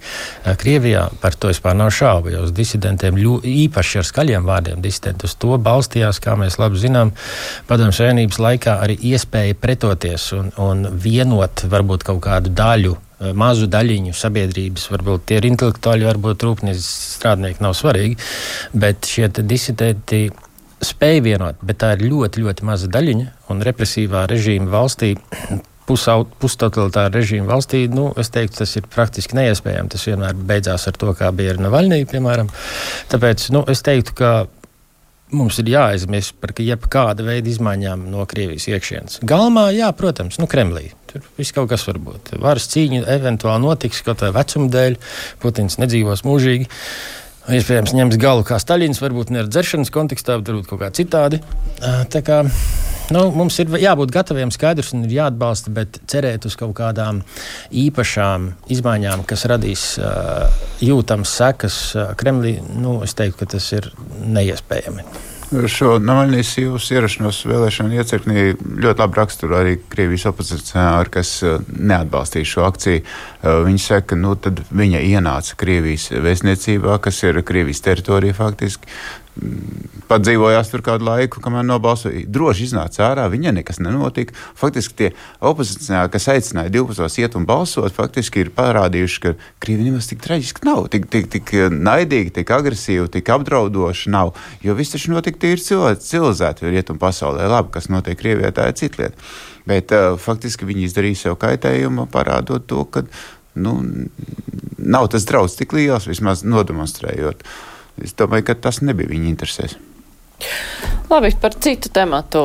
Krievijā, par to vispār nav šaubu, jo uz disidentiem īpaši ar skaļiem vārdiem disidenti uz to balstījās, kā mēs labi zinām, Padomju Savienības laikā arī iespēja pretoties un vienot varbūt kaut kādu daļu, mazu daļiņu sabiedrības, varbūt tie ir intelektuāļi, varbūt rūpniecības strādnieki, nav svarīgi, bet šie disidenti spēja vienot, bet tā ir ļoti, ļoti maza daļiņa, un represīvā režīma valstī, pustotalitāra režīma valstī, es teiktu, tas ir praktiski neiespējami. Tas vienmēr beidzās ar to, kā bija ar Navaļniju, piemēram. Tāpēc, es teiktu, ka mums ir jāaizmirst par jebkāda veida izmaiņām no Krievijas iekšienes. Galmā, jā, protams, Kremlī. Tur viss kaut kas var būt. Varas cīņa eventuāli notiks, kaut vai vecuma dēļ. Putins nedzīvos mūžīgi. Iespējams, ņems galu kā Staļins, varbūt ne ar dzeršanas kontekstā, bet varbūt kaut kā citādi. Tā kā Mums ir jābūt gataviem, skaidrs un ir jāatbalsta, bet cerēt uz kaut kādām īpašām izmaiņām, kas radīs jūtams sekas Kremlī, es teiktu, ka tas ir neiespējami. Šo Navaļnijas jūsu ierašanos vēlēšanu iecirknī ļoti labi raksturo arī Krievijas opozicionāri, kas neatbalstīja šo akciju. Viņi saka, tad viņa ienāca Krievijas vēstniecībā, kas ir Krievijas teritorija faktiski. Pat dzīvojās tur kādu laiku, kamēr nobalsoja. Droši iznāca ārā, viņai nekas nenotika. Faktiski tie opozicionāri, kas aicināja 12. iet un balsot, faktiski ir parādījuši, ka Krievija nemaz tik traģiski nav, tik naidīgi, tik agresīvi, tik apdraudoši nav. Jo viss taču notika tīri civilizēti rietumu pasaulē. Labi, kas notiek Krievijā, tā ir cita lieta. Bet faktiski viņi izdarīja sev kaitējumu, parādot to, ka nav tas draudz tik liels, vismaz nodemonstrējot. Es domāju, ka tas nebija viņa interesēs. Labi, par citu tematu.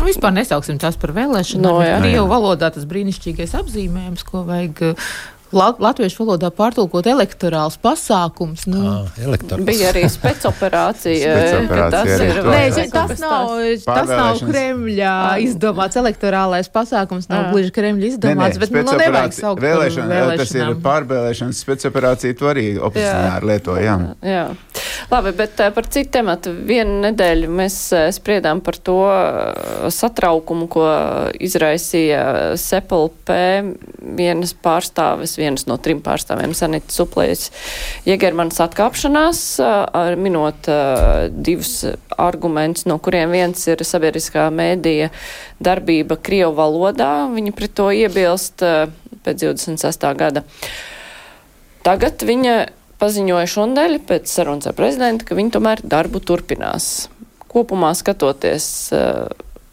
Vispār nesauksim tās par vēlēšanām. Krievu valodā tas brīnišķīgais apzīmējums, ko vajag latviešu valodā pārtulkot elektorāls pasākums. Bija arī specoperācija. Tas nav Kremļa izdomāts elektorālais pasākums, nav gluži Kremļa izdomāts, bet nevajag saukt par vēlēšanām. Tas ir pārvēlēšanas specoperācija, to arī opozicionāri lieto, jā. Labi, bet par citu tematu. Vienu nedēļu mēs spriedām par to satraukumu, ko izraisīja SEPLP vienas no 3 pārstāvjiem, Sanita Suplējas Jegermanas atkāpšanās, minot 2 argumentus, no kuriem viens ir sabiedriskā mēdīja darbība Krievu valodā. Viņi pret to iebilst pēc 26. gada. Tagad viņa paziņoja šonadēļ pēc sarunas ar prezidentu, ka viņi tomēr darbu turpinās. Kopumā skatoties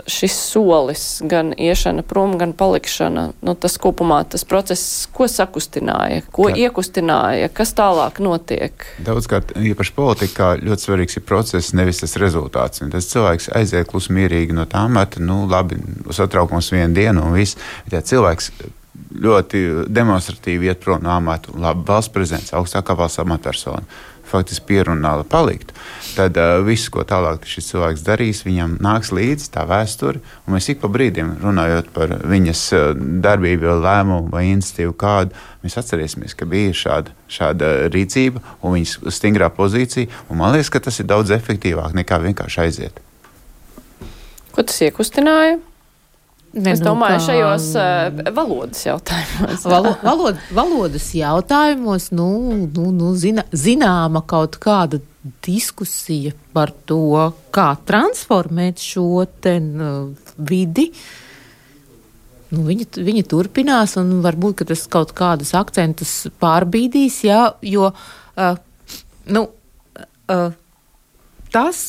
šis solis, gan iešana prom, gan palikšana, tas kopumā, tas process, ko sakustināja, ko iekustināja, kas tālāk notiek? Daudzkārt, īpaši politikā, ļoti svarīgs ir process, nevis tas rezultāts. Un tas cilvēks aiziet klusi mierīgi no tā meta, labi, satraukums vienu dienu un viss. Ja cilvēks ļoti demonstratīvi iet prom no amata, labi, valsts prezidents, augstākā valsts amatpersona, faktiski pierunāla palikt, tad viss, ko tālāk šis cilvēks darīs, viņam nāks līdzi tā vēsture, un mēs ik pa brīdim, runājot par viņas darbību, lēmumu vai iniciatīvu kādu, mēs atcerēsimies, ka bija šāda rīcība un viņas stingrā pozīcija, un man liekas, ka tas ir daudz efektīvāk nekā vienkārši aiziet. Ko tas iekustināja? Es domāju, šajos valodas jautājumos. Valodas jautājumos, zināma kaut kāda diskusija par to, kā transformēt šo vidi. Viņa turpinās, un varbūt, ka tas kaut kādus akcentus pārbīdīs, jo tas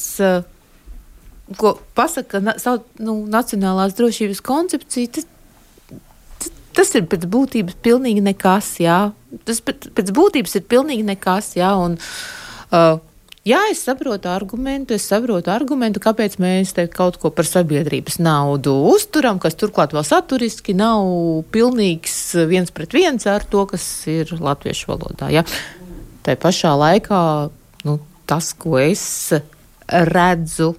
ko pasaka nacionālās drošības koncepcija, tas ir pēc būtības pilnīgi nekas, jā. Tas pēc būtības ir pilnīgi nekas, jā, un es saprotu argumentu, kāpēc mēs te kaut ko par sabiedrības naudu uzturam, kas turklāt vēl saturiski nav pilnīgs 1:1 ar to, kas ir latviešu valodā, jā. Tā pašā laikā, tas, ko es redzu,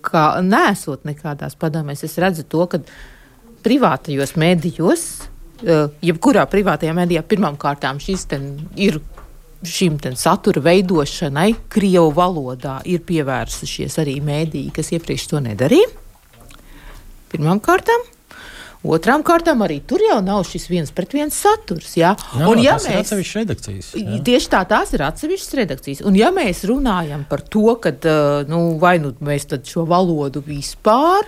kā nesot nekādās padomēs, es redzu to, ka privātajos medijos, jebkurā privātajā medijā pirmām kārtām ir šim satura veidošanai Krievu valodā ir pievērsušies arī mediji, kas iepriekš to nedarīja. Pirmām kārtām. Otrām kārtām arī tur jau nav šis 1:1 saturs. Jā. Tas ir atsevišķas redakcijas. Tieši tās ir atsevišķas redakcijas. Un ja mēs runājam par to, ka vai mēs tad šo valodu vispār,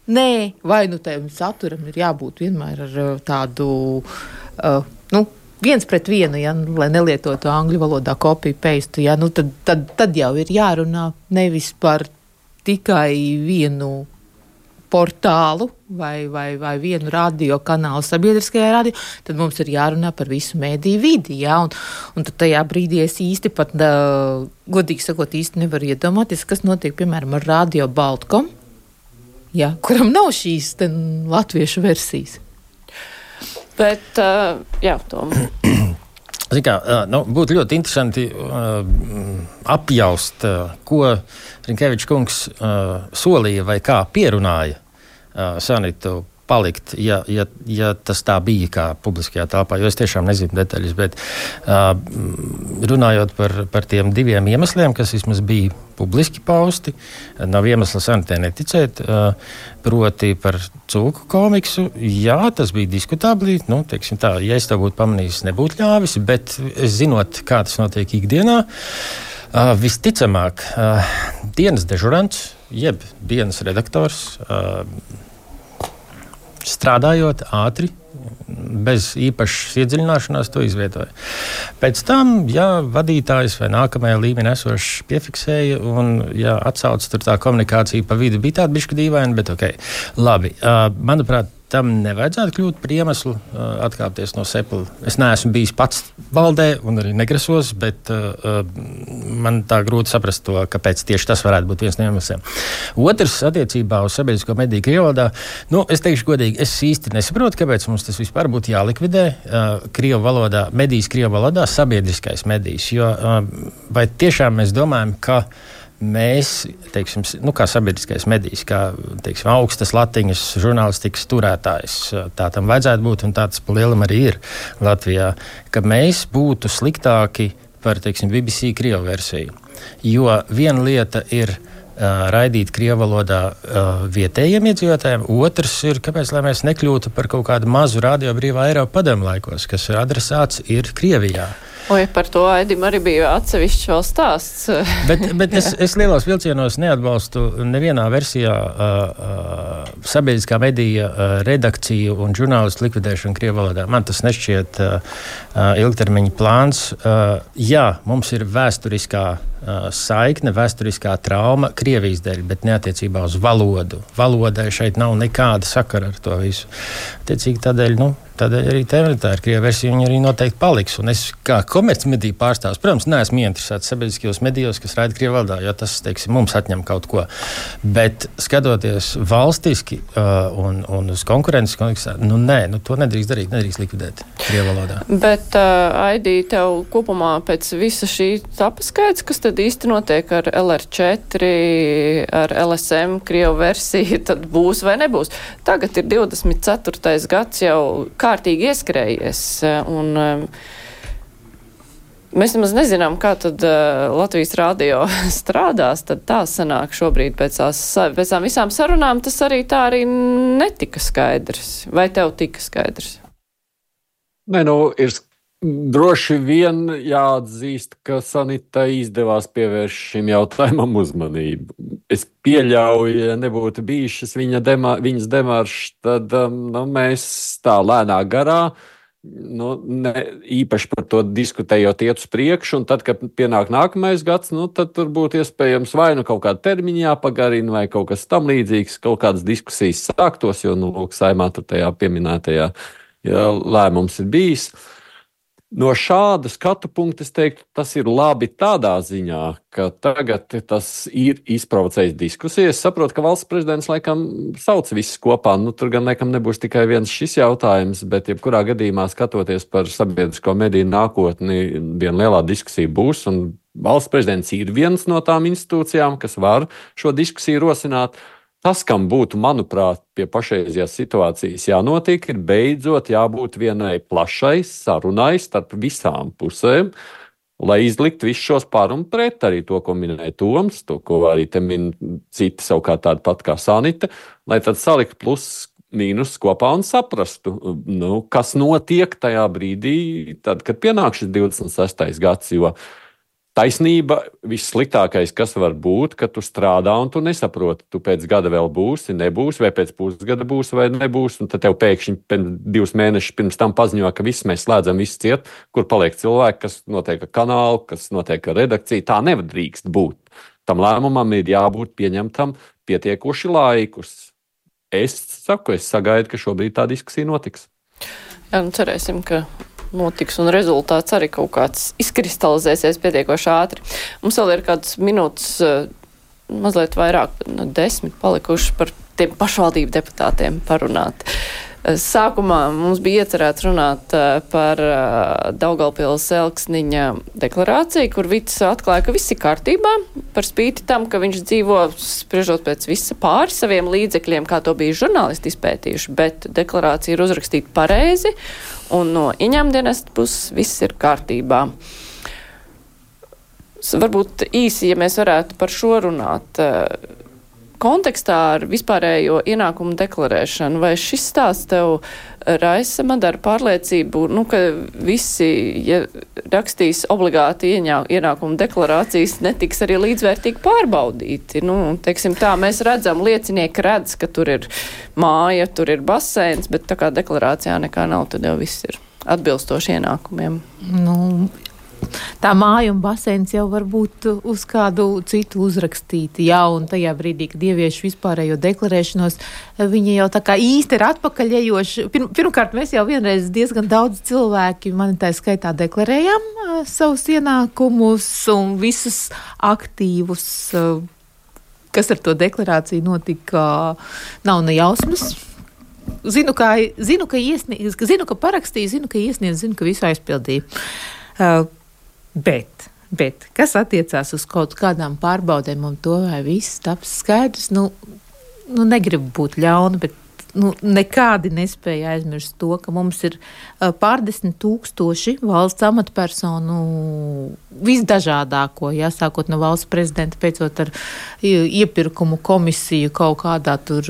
vai tam saturam ir jābūt vienmēr ar tādu 1:1, ja, lai nelietotu angļu valodā copy-paste, ja, tad jau ir jārunā nevis par tikai vienu portālu vai vienu radio kanālu sabiedriskajā radio, tad mums ir jārunā par visu mēdīju vidi, jā, un tad tajā brīdī es īsti pat, godīgi sakot, īsti nevaru iedomāties, kas notiek, piemēram, ar Radio Baltkom, jā, kuram nav šīs latviešu versijas. Bet, Tom. Būtu ļoti interesanti apjaust, ko Rinkevičs kungs solīja vai kā pierunāja Sanitu palikt, ja tas tā bija kā publiskajā telpā, jo es tiešām nezinu detaļas, bet runājot par tiem 2 iemesliem, kas vismaz bija publiski pausti, nav iemesla Sanitē neticēt, proti par cūku komiksu, jā, tas bija diskutabli, teiksim tā, ja es to būtu pamanījis, nebūtu ļāvis, bet es zinot, kā tas notiek ikdienā, visticamāk, dienas dežurants, jeb dienas redaktors, strādājot ātri, bez īpašas iedziļināšanās to izvietoja. Pēc tam, vadītājs vai nākamajā līmenī esošs piefiksēja un, atsauc tur tā komunikācija pa vidu bija tāda bišķi dīvaina, bet ok. Labi, manuprāt, tam nevajadzētu kļūt par iemeslu atkāpties no Sepula. Es neesmu bijis pats valdē un arī negrasos, bet man tā grūti saprast to, kāpēc tieši tas varētu būt viens no iemesliem. Otrs, attiecībā uz sabiedrisko mediju Krievvalodā, es teikšu godīgi, es īsti nesaprotu, kāpēc mums tas vispār būtu jālikvidē Krievu valodā, medijas Krievu valodā, sabiedriskais medijas, jo vai tiešām mēs domājam, ka mēs, teiksim, kā sabiedriskais medijs, kā, teiksim, augstas latiņas žurnālistikas turētājs, tā tam vajadzētu būt, un tā tas pa lielam arī ir Latvijā, ka mēs būtu sliktāki par, teiksim, BBC Krievu versiju. Jo viena lieta ir raidīt Krievu valodā vietējiem iedzīvotājiem, otrs ir, kāpēc, lai mēs nekļūtu par kaut kādu mazu radio brīvā Eiropa padomu laikos, kas ir adresāts ir Krievijā. Oi, par to Aidim arī bija atsevišķs vēl stāsts. bet es lielos vilcienos neatbalstu nevienā versijā sabiedriskā medija redakciju un žurnālistu likvidēšanu Krievu valodā. Man tas nešķiet ilgtermiņa plāns. Jā, mums ir vēsturiskā saikne, vēsturiskā trauma Krievijas dēļ, bet neattiecībā uz valodu. Valodai šeit nav nekāda sakara ar to visu. Attiecīgi tādēļ arī tā ir Krieva versija, viņa arī noteikti paliks. Un es kā komercmediju pārstāvs, protams, neesmu ieinteresēts sabiedriskajos medijos, kas raida Krievu valodā, jo tas, teiksim, mums atņem kaut ko. Bet skatoties valstiski un uz konkurences kontekstā, to nedrīkst darīt, nedrīkst likvidēt Krievu valodā. Bet, Aidī, tev kopumā pēc visa šī paskaidrs, kas tad īsti notiek ar LR4, ar LSM Krievu versiju, tad būs vai nebūs? Tagad ir 24. gads jau kārtīgi ieskrējies, un mēs nemaz nezinām, kā tad Latvijas radio strādās, tad tā sanāk šobrīd pēc tām visām sarunām, tas arī tā arī netika skaidrs. Vai tev tika skaidrs? Ir droši vien jāatzīst, ka Sanitai izdevās pievērst šim jautājumam uzmanību. Es pieļauju, ja nebūtu bijušas viņas demaršas, tad mēs tā lēnā garā, īpaši par to diskutējot iet uz priekšu, un tad, kad pienāk nākamais gads, tad tur būtu iespējams vai kaut kāda termiņa jāpagarina, vai kaut kas tam līdzīgs, kaut kādas diskusijas sāktos, jo, Saeimā tur tajā pieminētajā lēmums ir bijis. No šāda skatu punkta es teiktu, tas ir labi tādā ziņā, ka tagad tas ir izprovocējis diskusijas. Es saprotu, ka valsts prezidents laikam sauc visus kopā. Tur gan laikam nebūs tikai viens šis jautājums, bet jebkurā gadījumā skatoties par sabiedrisko mediju nākotni, viena lielā diskusija būs, un valsts prezidents ir viens no tām institūcijām, kas var šo diskusiju rosināt. Tas, kam būtu, manuprāt, pie pašreizējās situācijas jānotiek, ir beidzot jābūt vienai plašai sarunai starp visām pusēm, lai izliktu visus šos par un pret, arī to, ko minēja Toms, to, ko arī te min citi savukārt tādi pat kā Sanita, lai tad salikt plus mīnus kopā un saprastu, kas notiek tajā brīdī, tad, kad pienāk šis 26. gads, jo taisnība vissliktākais, kas var būt, ka tu strādā un tu nesaproti, tu pēc gada vēl būsi, nebūs, vai pēc pusgada būs vai nebūs, un tad tev pēkšņi 2 mēnešus pirms tam paziņo, ka viss mēs slēdzam visu ciet, kur paliek cilvēki, kas notiek ar kanālu, kas notiek ar redakciju. Tā nedrīkst būt. Tam lēmumam ir jābūt pieņemtam pietiekoši laikus. Es sagaidu, ka šobrīd tā diskusija notiks. Jā, cerēsim, ka notiks un rezultāts arī kaut kāds izkristalizēsies pietiekoši ātri. Mums vēl ir kādas minūtes, mazliet vairāk, 10 palikušas par tiem pašvaldību deputātiem parunāt. Sākumā mums bija iecerēts runāt par Daugavpils Elksniņa deklarāciju, kur Vits atklāja, ka viss ir kārtībā, par spīti tam, ka viņš dzīvo spriežot pēc visa pāri saviem līdzekļiem, kā to bija žurnālisti izpētījuši, bet deklarācija ir uzrakstīta pareizi, un no ieņēmumdienesta puses viss ir kārtībā. Varbūt īsi, ja mēs varētu par šo runāt, kontekstā ar vispārējo ienākumu deklarēšanu, vai šis stāsts tev raisa madara pārliecību, ka visi, ja rakstīs obligāti ienākumu deklarācijas, netiks arī līdzvērtīgi pārbaudīti? Teiksim tā, mēs redzam, liecinieki redz, ka tur ir māja, tur ir baseins, bet tā kā deklarācijā nekā nav, tad jau viss ir atbilstoši ienākumiem. Tā māja un baseins jau var būt uz kādu citu uzrakstīti, un tajā brīdī, kad ievieš vispārējo deklarēšanos, viņi jau tā kā īsti ir atpakaļejoši. Pirmkārt, mēs jau vienreiz diezgan daudz cilvēki, mani tā skaitā, deklarējām savus ienākumus un visus aktīvus, kas ar to deklarāciju notika, nav ne jausmas. Zinu, ka parakstīju, zinu, ka iesniedzu, zinu, ka visu aizpildīju. Bet, kas attiecās uz kaut kādām pārbaudēm un to, vai viss taps skaidrs, negribu būt ļauna, bet nekādi nespēja aizmirst to, ka mums ir pārdesmit tūkstoši valsts amatpersonu visdažādāko, sākot no valsts prezidenta, pēcot ar iepirkumu komisiju kaut kādā tur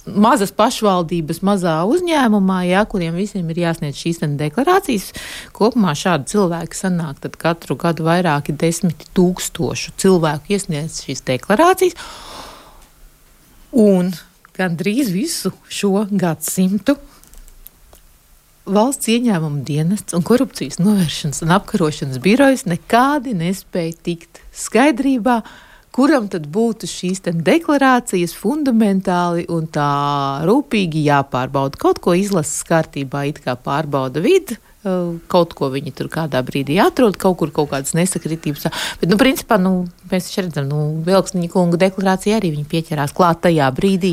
mazas pašvaldības, mazā uzņēmumā, kuriem visiem ir jāsniedz šīs deklarācijas. Kopumā šādi cilvēki sanāk, tad katru gadu vairāki 10,000 cilvēku iesniedz šīs deklarācijas. Un gandrīz visu šo gadsimtu Valsts ieņēmuma dienests un korupcijas novēršanas un apkarošanas birojas nekādi nespēja tikt skaidrībā, kuram tad būtu šīs deklarācijas fundamentāli un tā rūpīgi jāpārbauda. Kaut ko izlases kārtībā it kā pārbauda vidi, kaut ko viņi tur kādā brīdī atrod, kaut kur kaut kādas nesakritības. Bet, principā, mēs redzam, Elksniņa kunga deklarācija arī viņi pieķerās klāt tajā brīdī,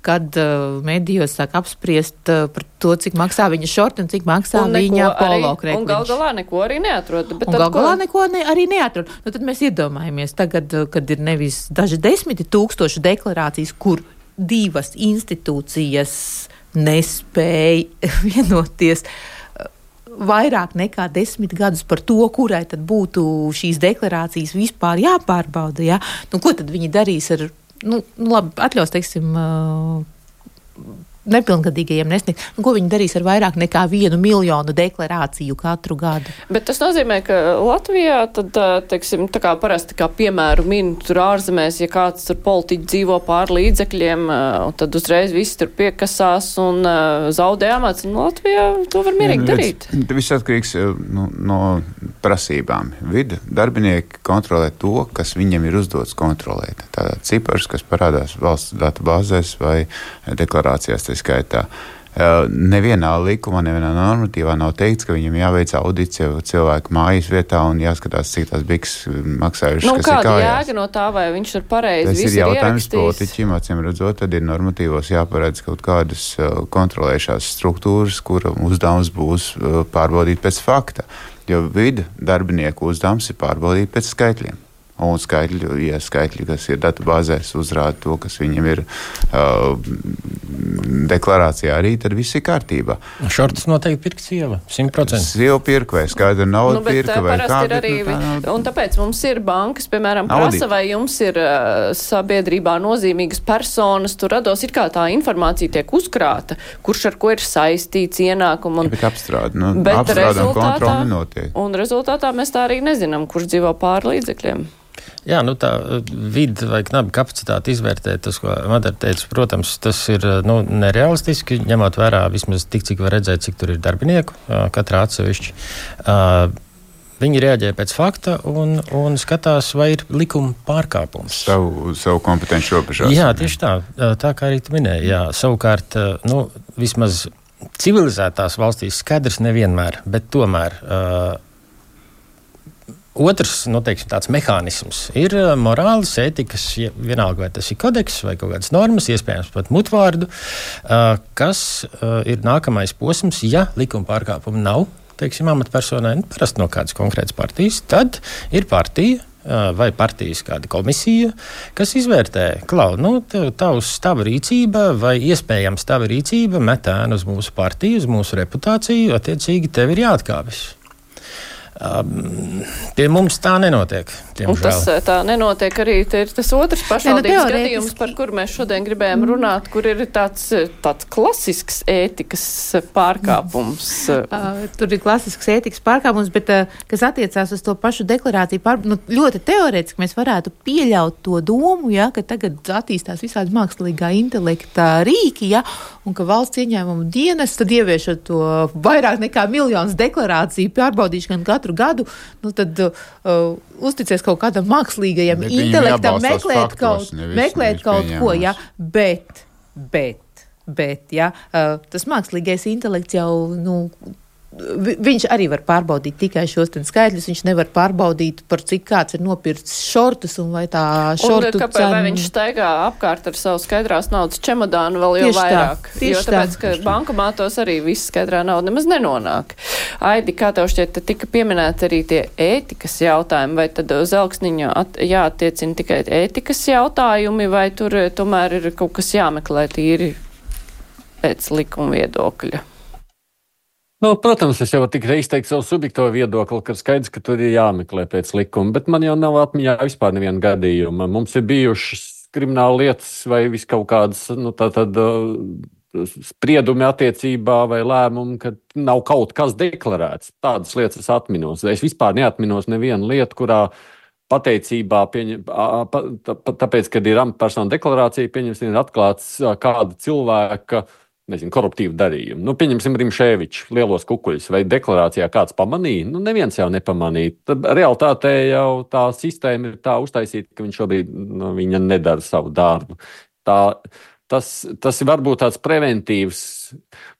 kad medijos sāk apspriest par to, cik maksā viņa šorti un cik maksā viņa polo krekliņš. Un gal galā neko arī neatrod. Arī neatrod. Tad mēs iedomājamies tagad, kad ir nevis daži 10,000 deklarācijas, kur divas institūcijas nespēja vienoties vairāk nekā 10 gadus par to, kurai tad būtu šīs deklarācijas vispār jāpārbauda. Ko tad viņi darīs ar, labi, atļaus, teiksim, nepilngadīgajiem nesniegt. Ko viņi darīs ar vairāk nekā 1 miljonu deklarāciju katru gadu? Bet tas nozīmē, ka Latvijā tad, teiksim, tā kā parasti kā piemēru min tur ārzemēs, ja kāds tur politiķi dzīvo pār līdzekļiem, tad uzreiz visi tur piekasās un zaudē amats. Un Latvijā to var mierīgi darīt. Viss atkarīgs no prasībām. Vida darbinieki kontrolē to, kas viņiem ir uzdots kontrolēt. Tātad cipars, kas parādās valsts datubāzēs vai deklarācijās. Skaitā. Nevienā likumā, nevienā normatīvā nav teikts, ka viņam jāveic audits cilvēku mājas vietā un jāskatās, cik tās biks maksājušas, kas ir kājās. Kāda jēga no tā, vai viņš ir pareizi visu ir jautājums politiķim, acīm redzot, tad ir normatīvos jāparedz kaut kādas kontrolējušās struktūras, kura uzdevums būs pārbaudīt pēc fakta, jo vida darbinieku uzdevums ir pārbaudīt pēc skaitļiem. Un skaitļi, kas ir datubāzēs, uzrāda to, kas viņam ir deklarācijā arī, tad viss ir kārtībā. Šortas noteikti pirka sieva, 100%. Sieva pirka vai skaidra nauda pirka vai kā. Un tāpēc mums ir bankas, piemēram, prasa, vai jums ir sabiedrībā nozīmīgas personas, tur rados ir kā tā informācija tiek uzkrāta, kurš ar ko ir saistīts ienākumu. Bet apstrāda, apstrāda un kontroli nenotiek. Un rezultātā mēs tā arī nezinām, kurš dzīvo pāri līdzekļiem. Jā, tā vidi vai knaba kapacitāte izvērtēt, tas, ko Madara teica, protams, tas ir nerealistiski, ņemot vērā vismaz tik, cik var redzēt, cik tur ir darbinieku, katrā atsevišķi. Viņi reaģē pēc fakta un skatās, vai ir likuma pārkāpums. Savu kompetenci robežās. Jā, tieši tā kā arī tu minēji. Jā, savukārt, vismaz civilizētās valstīs skaidrs nevienmēr, bet tomēr Otrs, teiksim, tāds mehānisms ir morāles, ētikas, vienalga vai tas ir kodeks vai kaut kādas normas, iespējams pat mutvārdu, kas ir nākamais posms, ja likuma pārkāpuma nav, teiksim, amatpersonai, parasti no kādas konkrētas partijas, tad ir partija vai partijas kāda komisija, kas izvērtē, tava rīcība vai iespējams tava rīcība met ēnu uz mūsu partiju, uz mūsu reputāciju, attiecīgi tev ir jāatkāpjas. Pie mums tā nenotiek. Un tas tā nenotiek arī, ir tas otrs pašvaldības gadījums, par kuru mēs šodien gribējām runāt, kur ir tāds klasisks ētikas pārkāpums. Tur ir klasisks ētikas pārkāpums, bet kas attiecās uz to pašu deklarāciju, ļoti teorētiski mēs varētu pieļaut to domu, ka tagad attīstās visādi mākslīgā intelekta rīki, un ka valsts ieņēmumu dienas tad ieviešot to vairāk nekā miljonus deklarāciju pārbaudīšanu katru gadu, tad uzticies kaut kādam mākslīgajam intelektam, meklēt kaut ko, bet, tas mākslīgais intelekts jau, viņš arī var pārbaudīt tikai šos skaitļus, viņš nevar pārbaudīt, par cik kāds ir nopircis šortus un vai tā šortu cena. Un vai viņš staigā apkārt ar savu skaidrās naudas čemodānu vēl jau vairāk? Jo tāpēc, ka bankomātos arī viss skaidrā nauda nemaz nenonāk. Aidi, kā tev šķiet, tika pieminēti arī tie ētikas jautājumi, vai tad uz elksniņa jāattiecina tikai ētikas jautājumi, vai tur tomēr ir kaut kas jāmeklē tīri pēc likuma viedokļa? Protams, es jau tikai izteiktu savu subjektīvo viedokli, ka skaidrs, ka tur ir jāmeklē pēc likuma, bet man jau nav atmiņā vispār neviena gadījuma. Mums ir bijušas krimināla lietas vai vis kaut kādas, spriedumi attiecībā vai lēmumi, ka nav kaut kas deklarēts. Tādas lietas es atminos. Es vispār neatminos nevienu lietu, kurā pateicībā, tāpēc, kad ir amatpersona deklarācija, pieņemsim, ir atklāts kāda cilvēka koruptīvu darījumu. Pieņemsim Rimšēvičs, lielos kukuļus, vai deklarācijā kāds pamanīja? Neviens jau nepamanīja. Tad realitātē jau tā sistēma ir tā uztaisīta, ka viņš šobrīd viņa nedara savu darbu. Tas ir varbūt tāds preventīvs,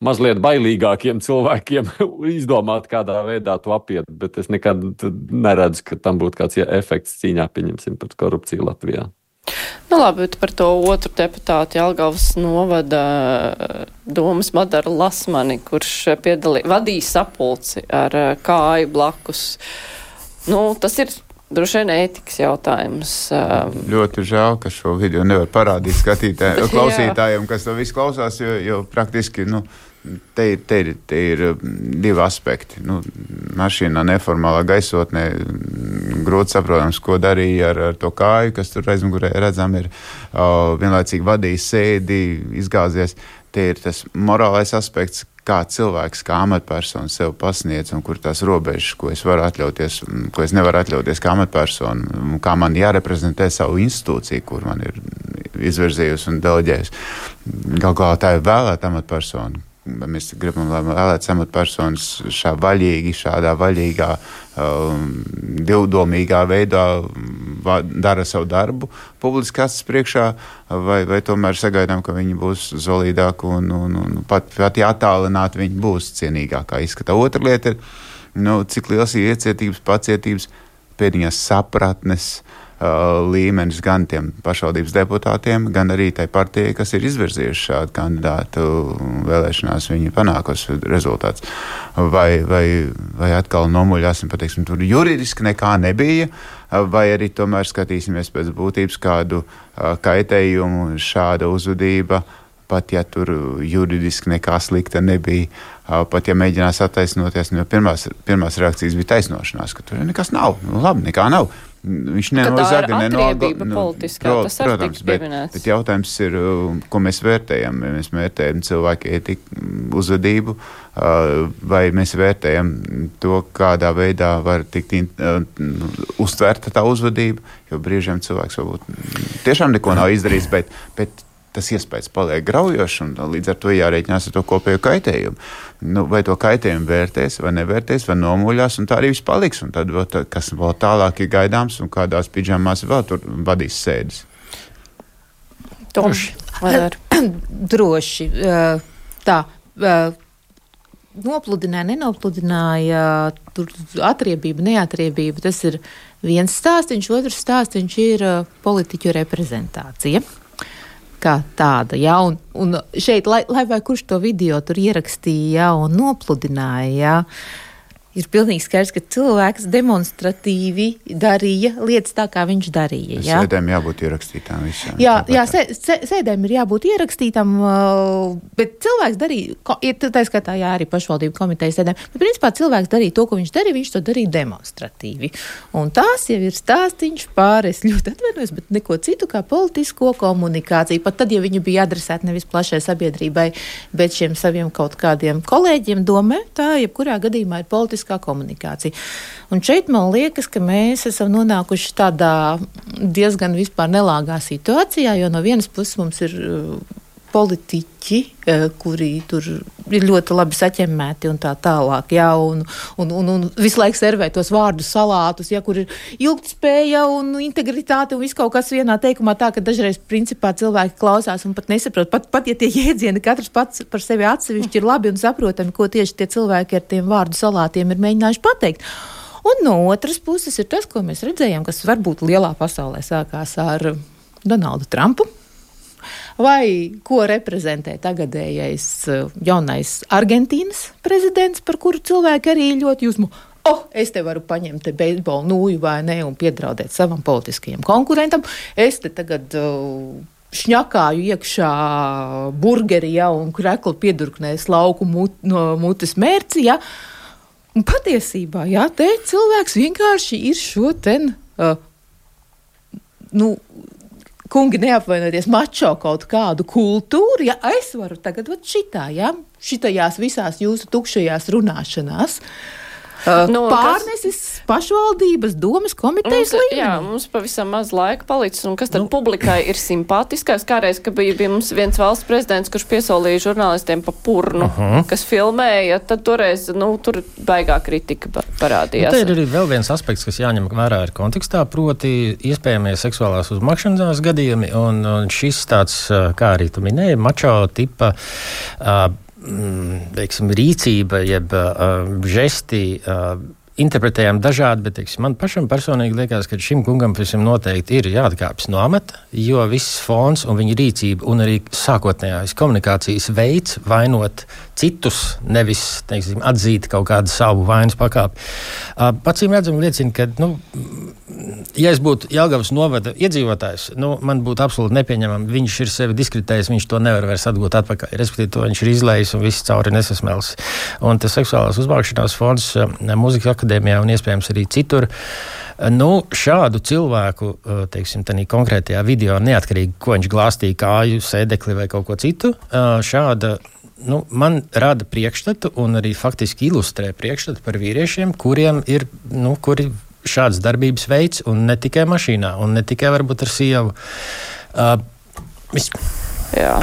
mazliet bailīgākiem cilvēkiem izdomāt, kādā veidā to apiet, bet es nekad neredzu, ka tam būtu kāds efekts cīņā, pieņemsim, pret korupciju Latvijā. Labi, bet par to otru deputātu Jelgavas novada domas Madaru Lasmani, kurš vadīja sapulci ar kāju blakus. Tas ir droši vien ētikas jautājums. Ļoti žēl, ka šo video nevar parādīt klausītājiem, kas to visu klausās, jo praktiski, te ir divi aspekti. Mašīnā neformālā gaisotnē grūti saprotams, ko darīja ar to kāju, kas tur aizmugurē redzam ir vienlaicīgi vadījis sēdi, izgāzies. Te ir tas morālais aspekts, kā cilvēks, kā amatpersona sev pasniedz un kur tās robežas, ko es varu atļauties, ko es nevaru atļauties kā amatpersona, kā man jāreprezentē savu institūciju, kur man ir izvirzījusi un deleģējusi. Galu galā tā ir vēlēta amatpersona. Mēs gribam, lai vēlētas amatpersonas šādā vaļīgā, divdomīgā veidā dara savu darbu publiski acis priekšā, vai tomēr sagaidām, ka viņi būs zolīdāki un pat attālināti viņi būs cienīgākā izskatā. Otra lieta ir, cik liels ir iecietības, pacietības, pēdiņās sapratnes līmenis gan tiem pašvaldības deputātiem, gan arī tai partijai, kas ir izvirzījuši šādu kandidātu vēlēšanās, viņi panākusi rezultāts. Vai atkal nomuļāsim, pateiksim, tur juridiski nekā nebija, vai arī tomēr skatīsimies pēc būtības kādu kaitējumu, šāda uzvedība, pat ja tur juridiski nekā slikta nebija, pat ja mēģinās attaisnoties, jo pirmās reakcijas bija taisnošanās, ka tur nekas nav, labi, nekā nav. Viņš nenozaga, protams, bet jautājums ir, ko mēs vērtējam. Mēs vērtējam cilvēku ētiku, uzvedību, vai mēs vērtējam to, kādā veidā var tikt uztverta tā uzvedība, jo brīžiem cilvēks varbūt tiešām neko nav izdarījis, bet tas iespējas paliek graujošs, un līdz ar to jārēķinās ar to kopējo kaitējumu. Vai to kaitējumu vērtēs, vai nevērtēs, vai nomuļās, un tā arī viss paliks. Un tad, kas vēl tālāk ir gaidāms, un kādās pidžamās vēl tur vadīs sēdes. Droši. Droši. Tā. nopludināja, nenopludināja, tur atriebība, neatriebība, tas ir viens stāstiņš, otrs stāstiņš ir politiķu reprezentācija. Kā tāda, jā, un šeit, lai vai kurš to video tur ierakstīja un nopludināja, jā, ir pilnīgi skaidrs, ka cilvēks demonstratīvi darīja lietas tā, kā viņš darīja. Jā? Sēdēm jābūt ierakstītām visām. Jā, sēdēm ir jābūt ierakstītām, bet cilvēks darīja, tā skatā, jā, arī pašvaldību komitejas sēdēm, bet principā cilvēks darīja to, ko viņš darīja, viņš to darīja demonstratīvi. Un tās jau ir stāstiņš pār, es ļoti atvainojos, bet neko citu kā politisko komunikāciju. Pat tad, ja viņi bija adresēti nevis plašai sabiedrībai, bet šiem saviem kaut kādiem kolēģiem domē, tā jebkurā gadījumā ir politiskā komunikācija. Un šeit man liekas, ka mēs esam nonākuši tādā diezgan vispār nelāgā situācijā, jo no vienas puses mums ir politiķi, kuri tur ir ļoti labi saķemmēti un tā tālāk, jā, un visu laiku servē tos vārdu salātus, jā, kur ir ilgtspēja un integritāte un viss kaut kas vienā teikumā tā, ka dažreiz principā cilvēki klausās un pat nesaprot, pat ja tie jēdzieni katrs pats par sevi atsevišķi ir labi un saprotami, ko tieši tie cilvēki ar tiem vārdu salātiem ir mēģinājuši pateikt. Un no otras puses ir tas, ko mēs redzējām, kas varbūt lielā pasaulē sākās ar Donaldu Trumpu, vai ko reprezentē tagadējais jaunais Argentīnas prezidents, par kuru cilvēki arī ļoti uzmu. Es te varu paņemt te beisbolu nūju vai ne un piedraudēt savam politiskajam konkurentam. Es te tagad šņakāju iekšā burgeri, ja, un kreklu piedurknēs lauku no mutes mērci, ja. Un patiesībā, jā, te cilvēks vienkārši ir šo ten, kungi neapvainoties mačo kaut kādu kultūru, ja es varu tagad šitā, ja, šitajās visās jūsu tukšajās runāšanās, pārnesis pašvaldības domas komitejas līmenī. Jā, mums pavisam maz laika palicis, un kas tad publikai ir simpātiskais? Kādreiz, ka bija mums viens valsts prezidents, kurš piesolīja žurnālistiem pa purnu, kas filmēja, tad toreiz, tur baigā kritika parādījās. Te ir arī vēl viens aspekts, kas jāņem vērā ir kontekstā, proti iespējamie seksuālās uzmakšanās gadījumi, un šis tāds, kā arī tu minēji, mačo tipa teiksim, rīcība, jeb žesti interpretējam dažādi, bet teiksim, man pašam personīgi liekas, ka šim kungam visam noteikti ir jāatkāpjas no amata, jo viss fons un viņa rīcība un arī sākotnējās komunikācijas veids vainot citus, nevis, teiksim, atzīt kaut kādu savu vainas pakāpi. Pacīm redzam liecina, ka, ja es būtu Jelgavas novada iedzīvotājs, man būtu absolūti nepieņemami. Viņš ir sevi diskreditējis, viņš to nevar vairs atgūt atpakaļ. Respektīvi, to viņš ir izlējis un viss cauri nesasmēlis. Un tas seksuālās uzmākšanās fonds Mūzikas akadēmijā un iespējams arī citur. Šādu cilvēku, teiksim, tādā konkrētajā video, neatkarīgi, ko viņš glāstīja kāju, sēdekli vai kaut ko citu, šāda man rada priekšstatu un arī faktiski ilustrē priekšstatu par vīriešiem, kuriem ir, kuri šādas darbības veids un ne tikai mašīnā un ne tikai varbūt ar sievu. Jā,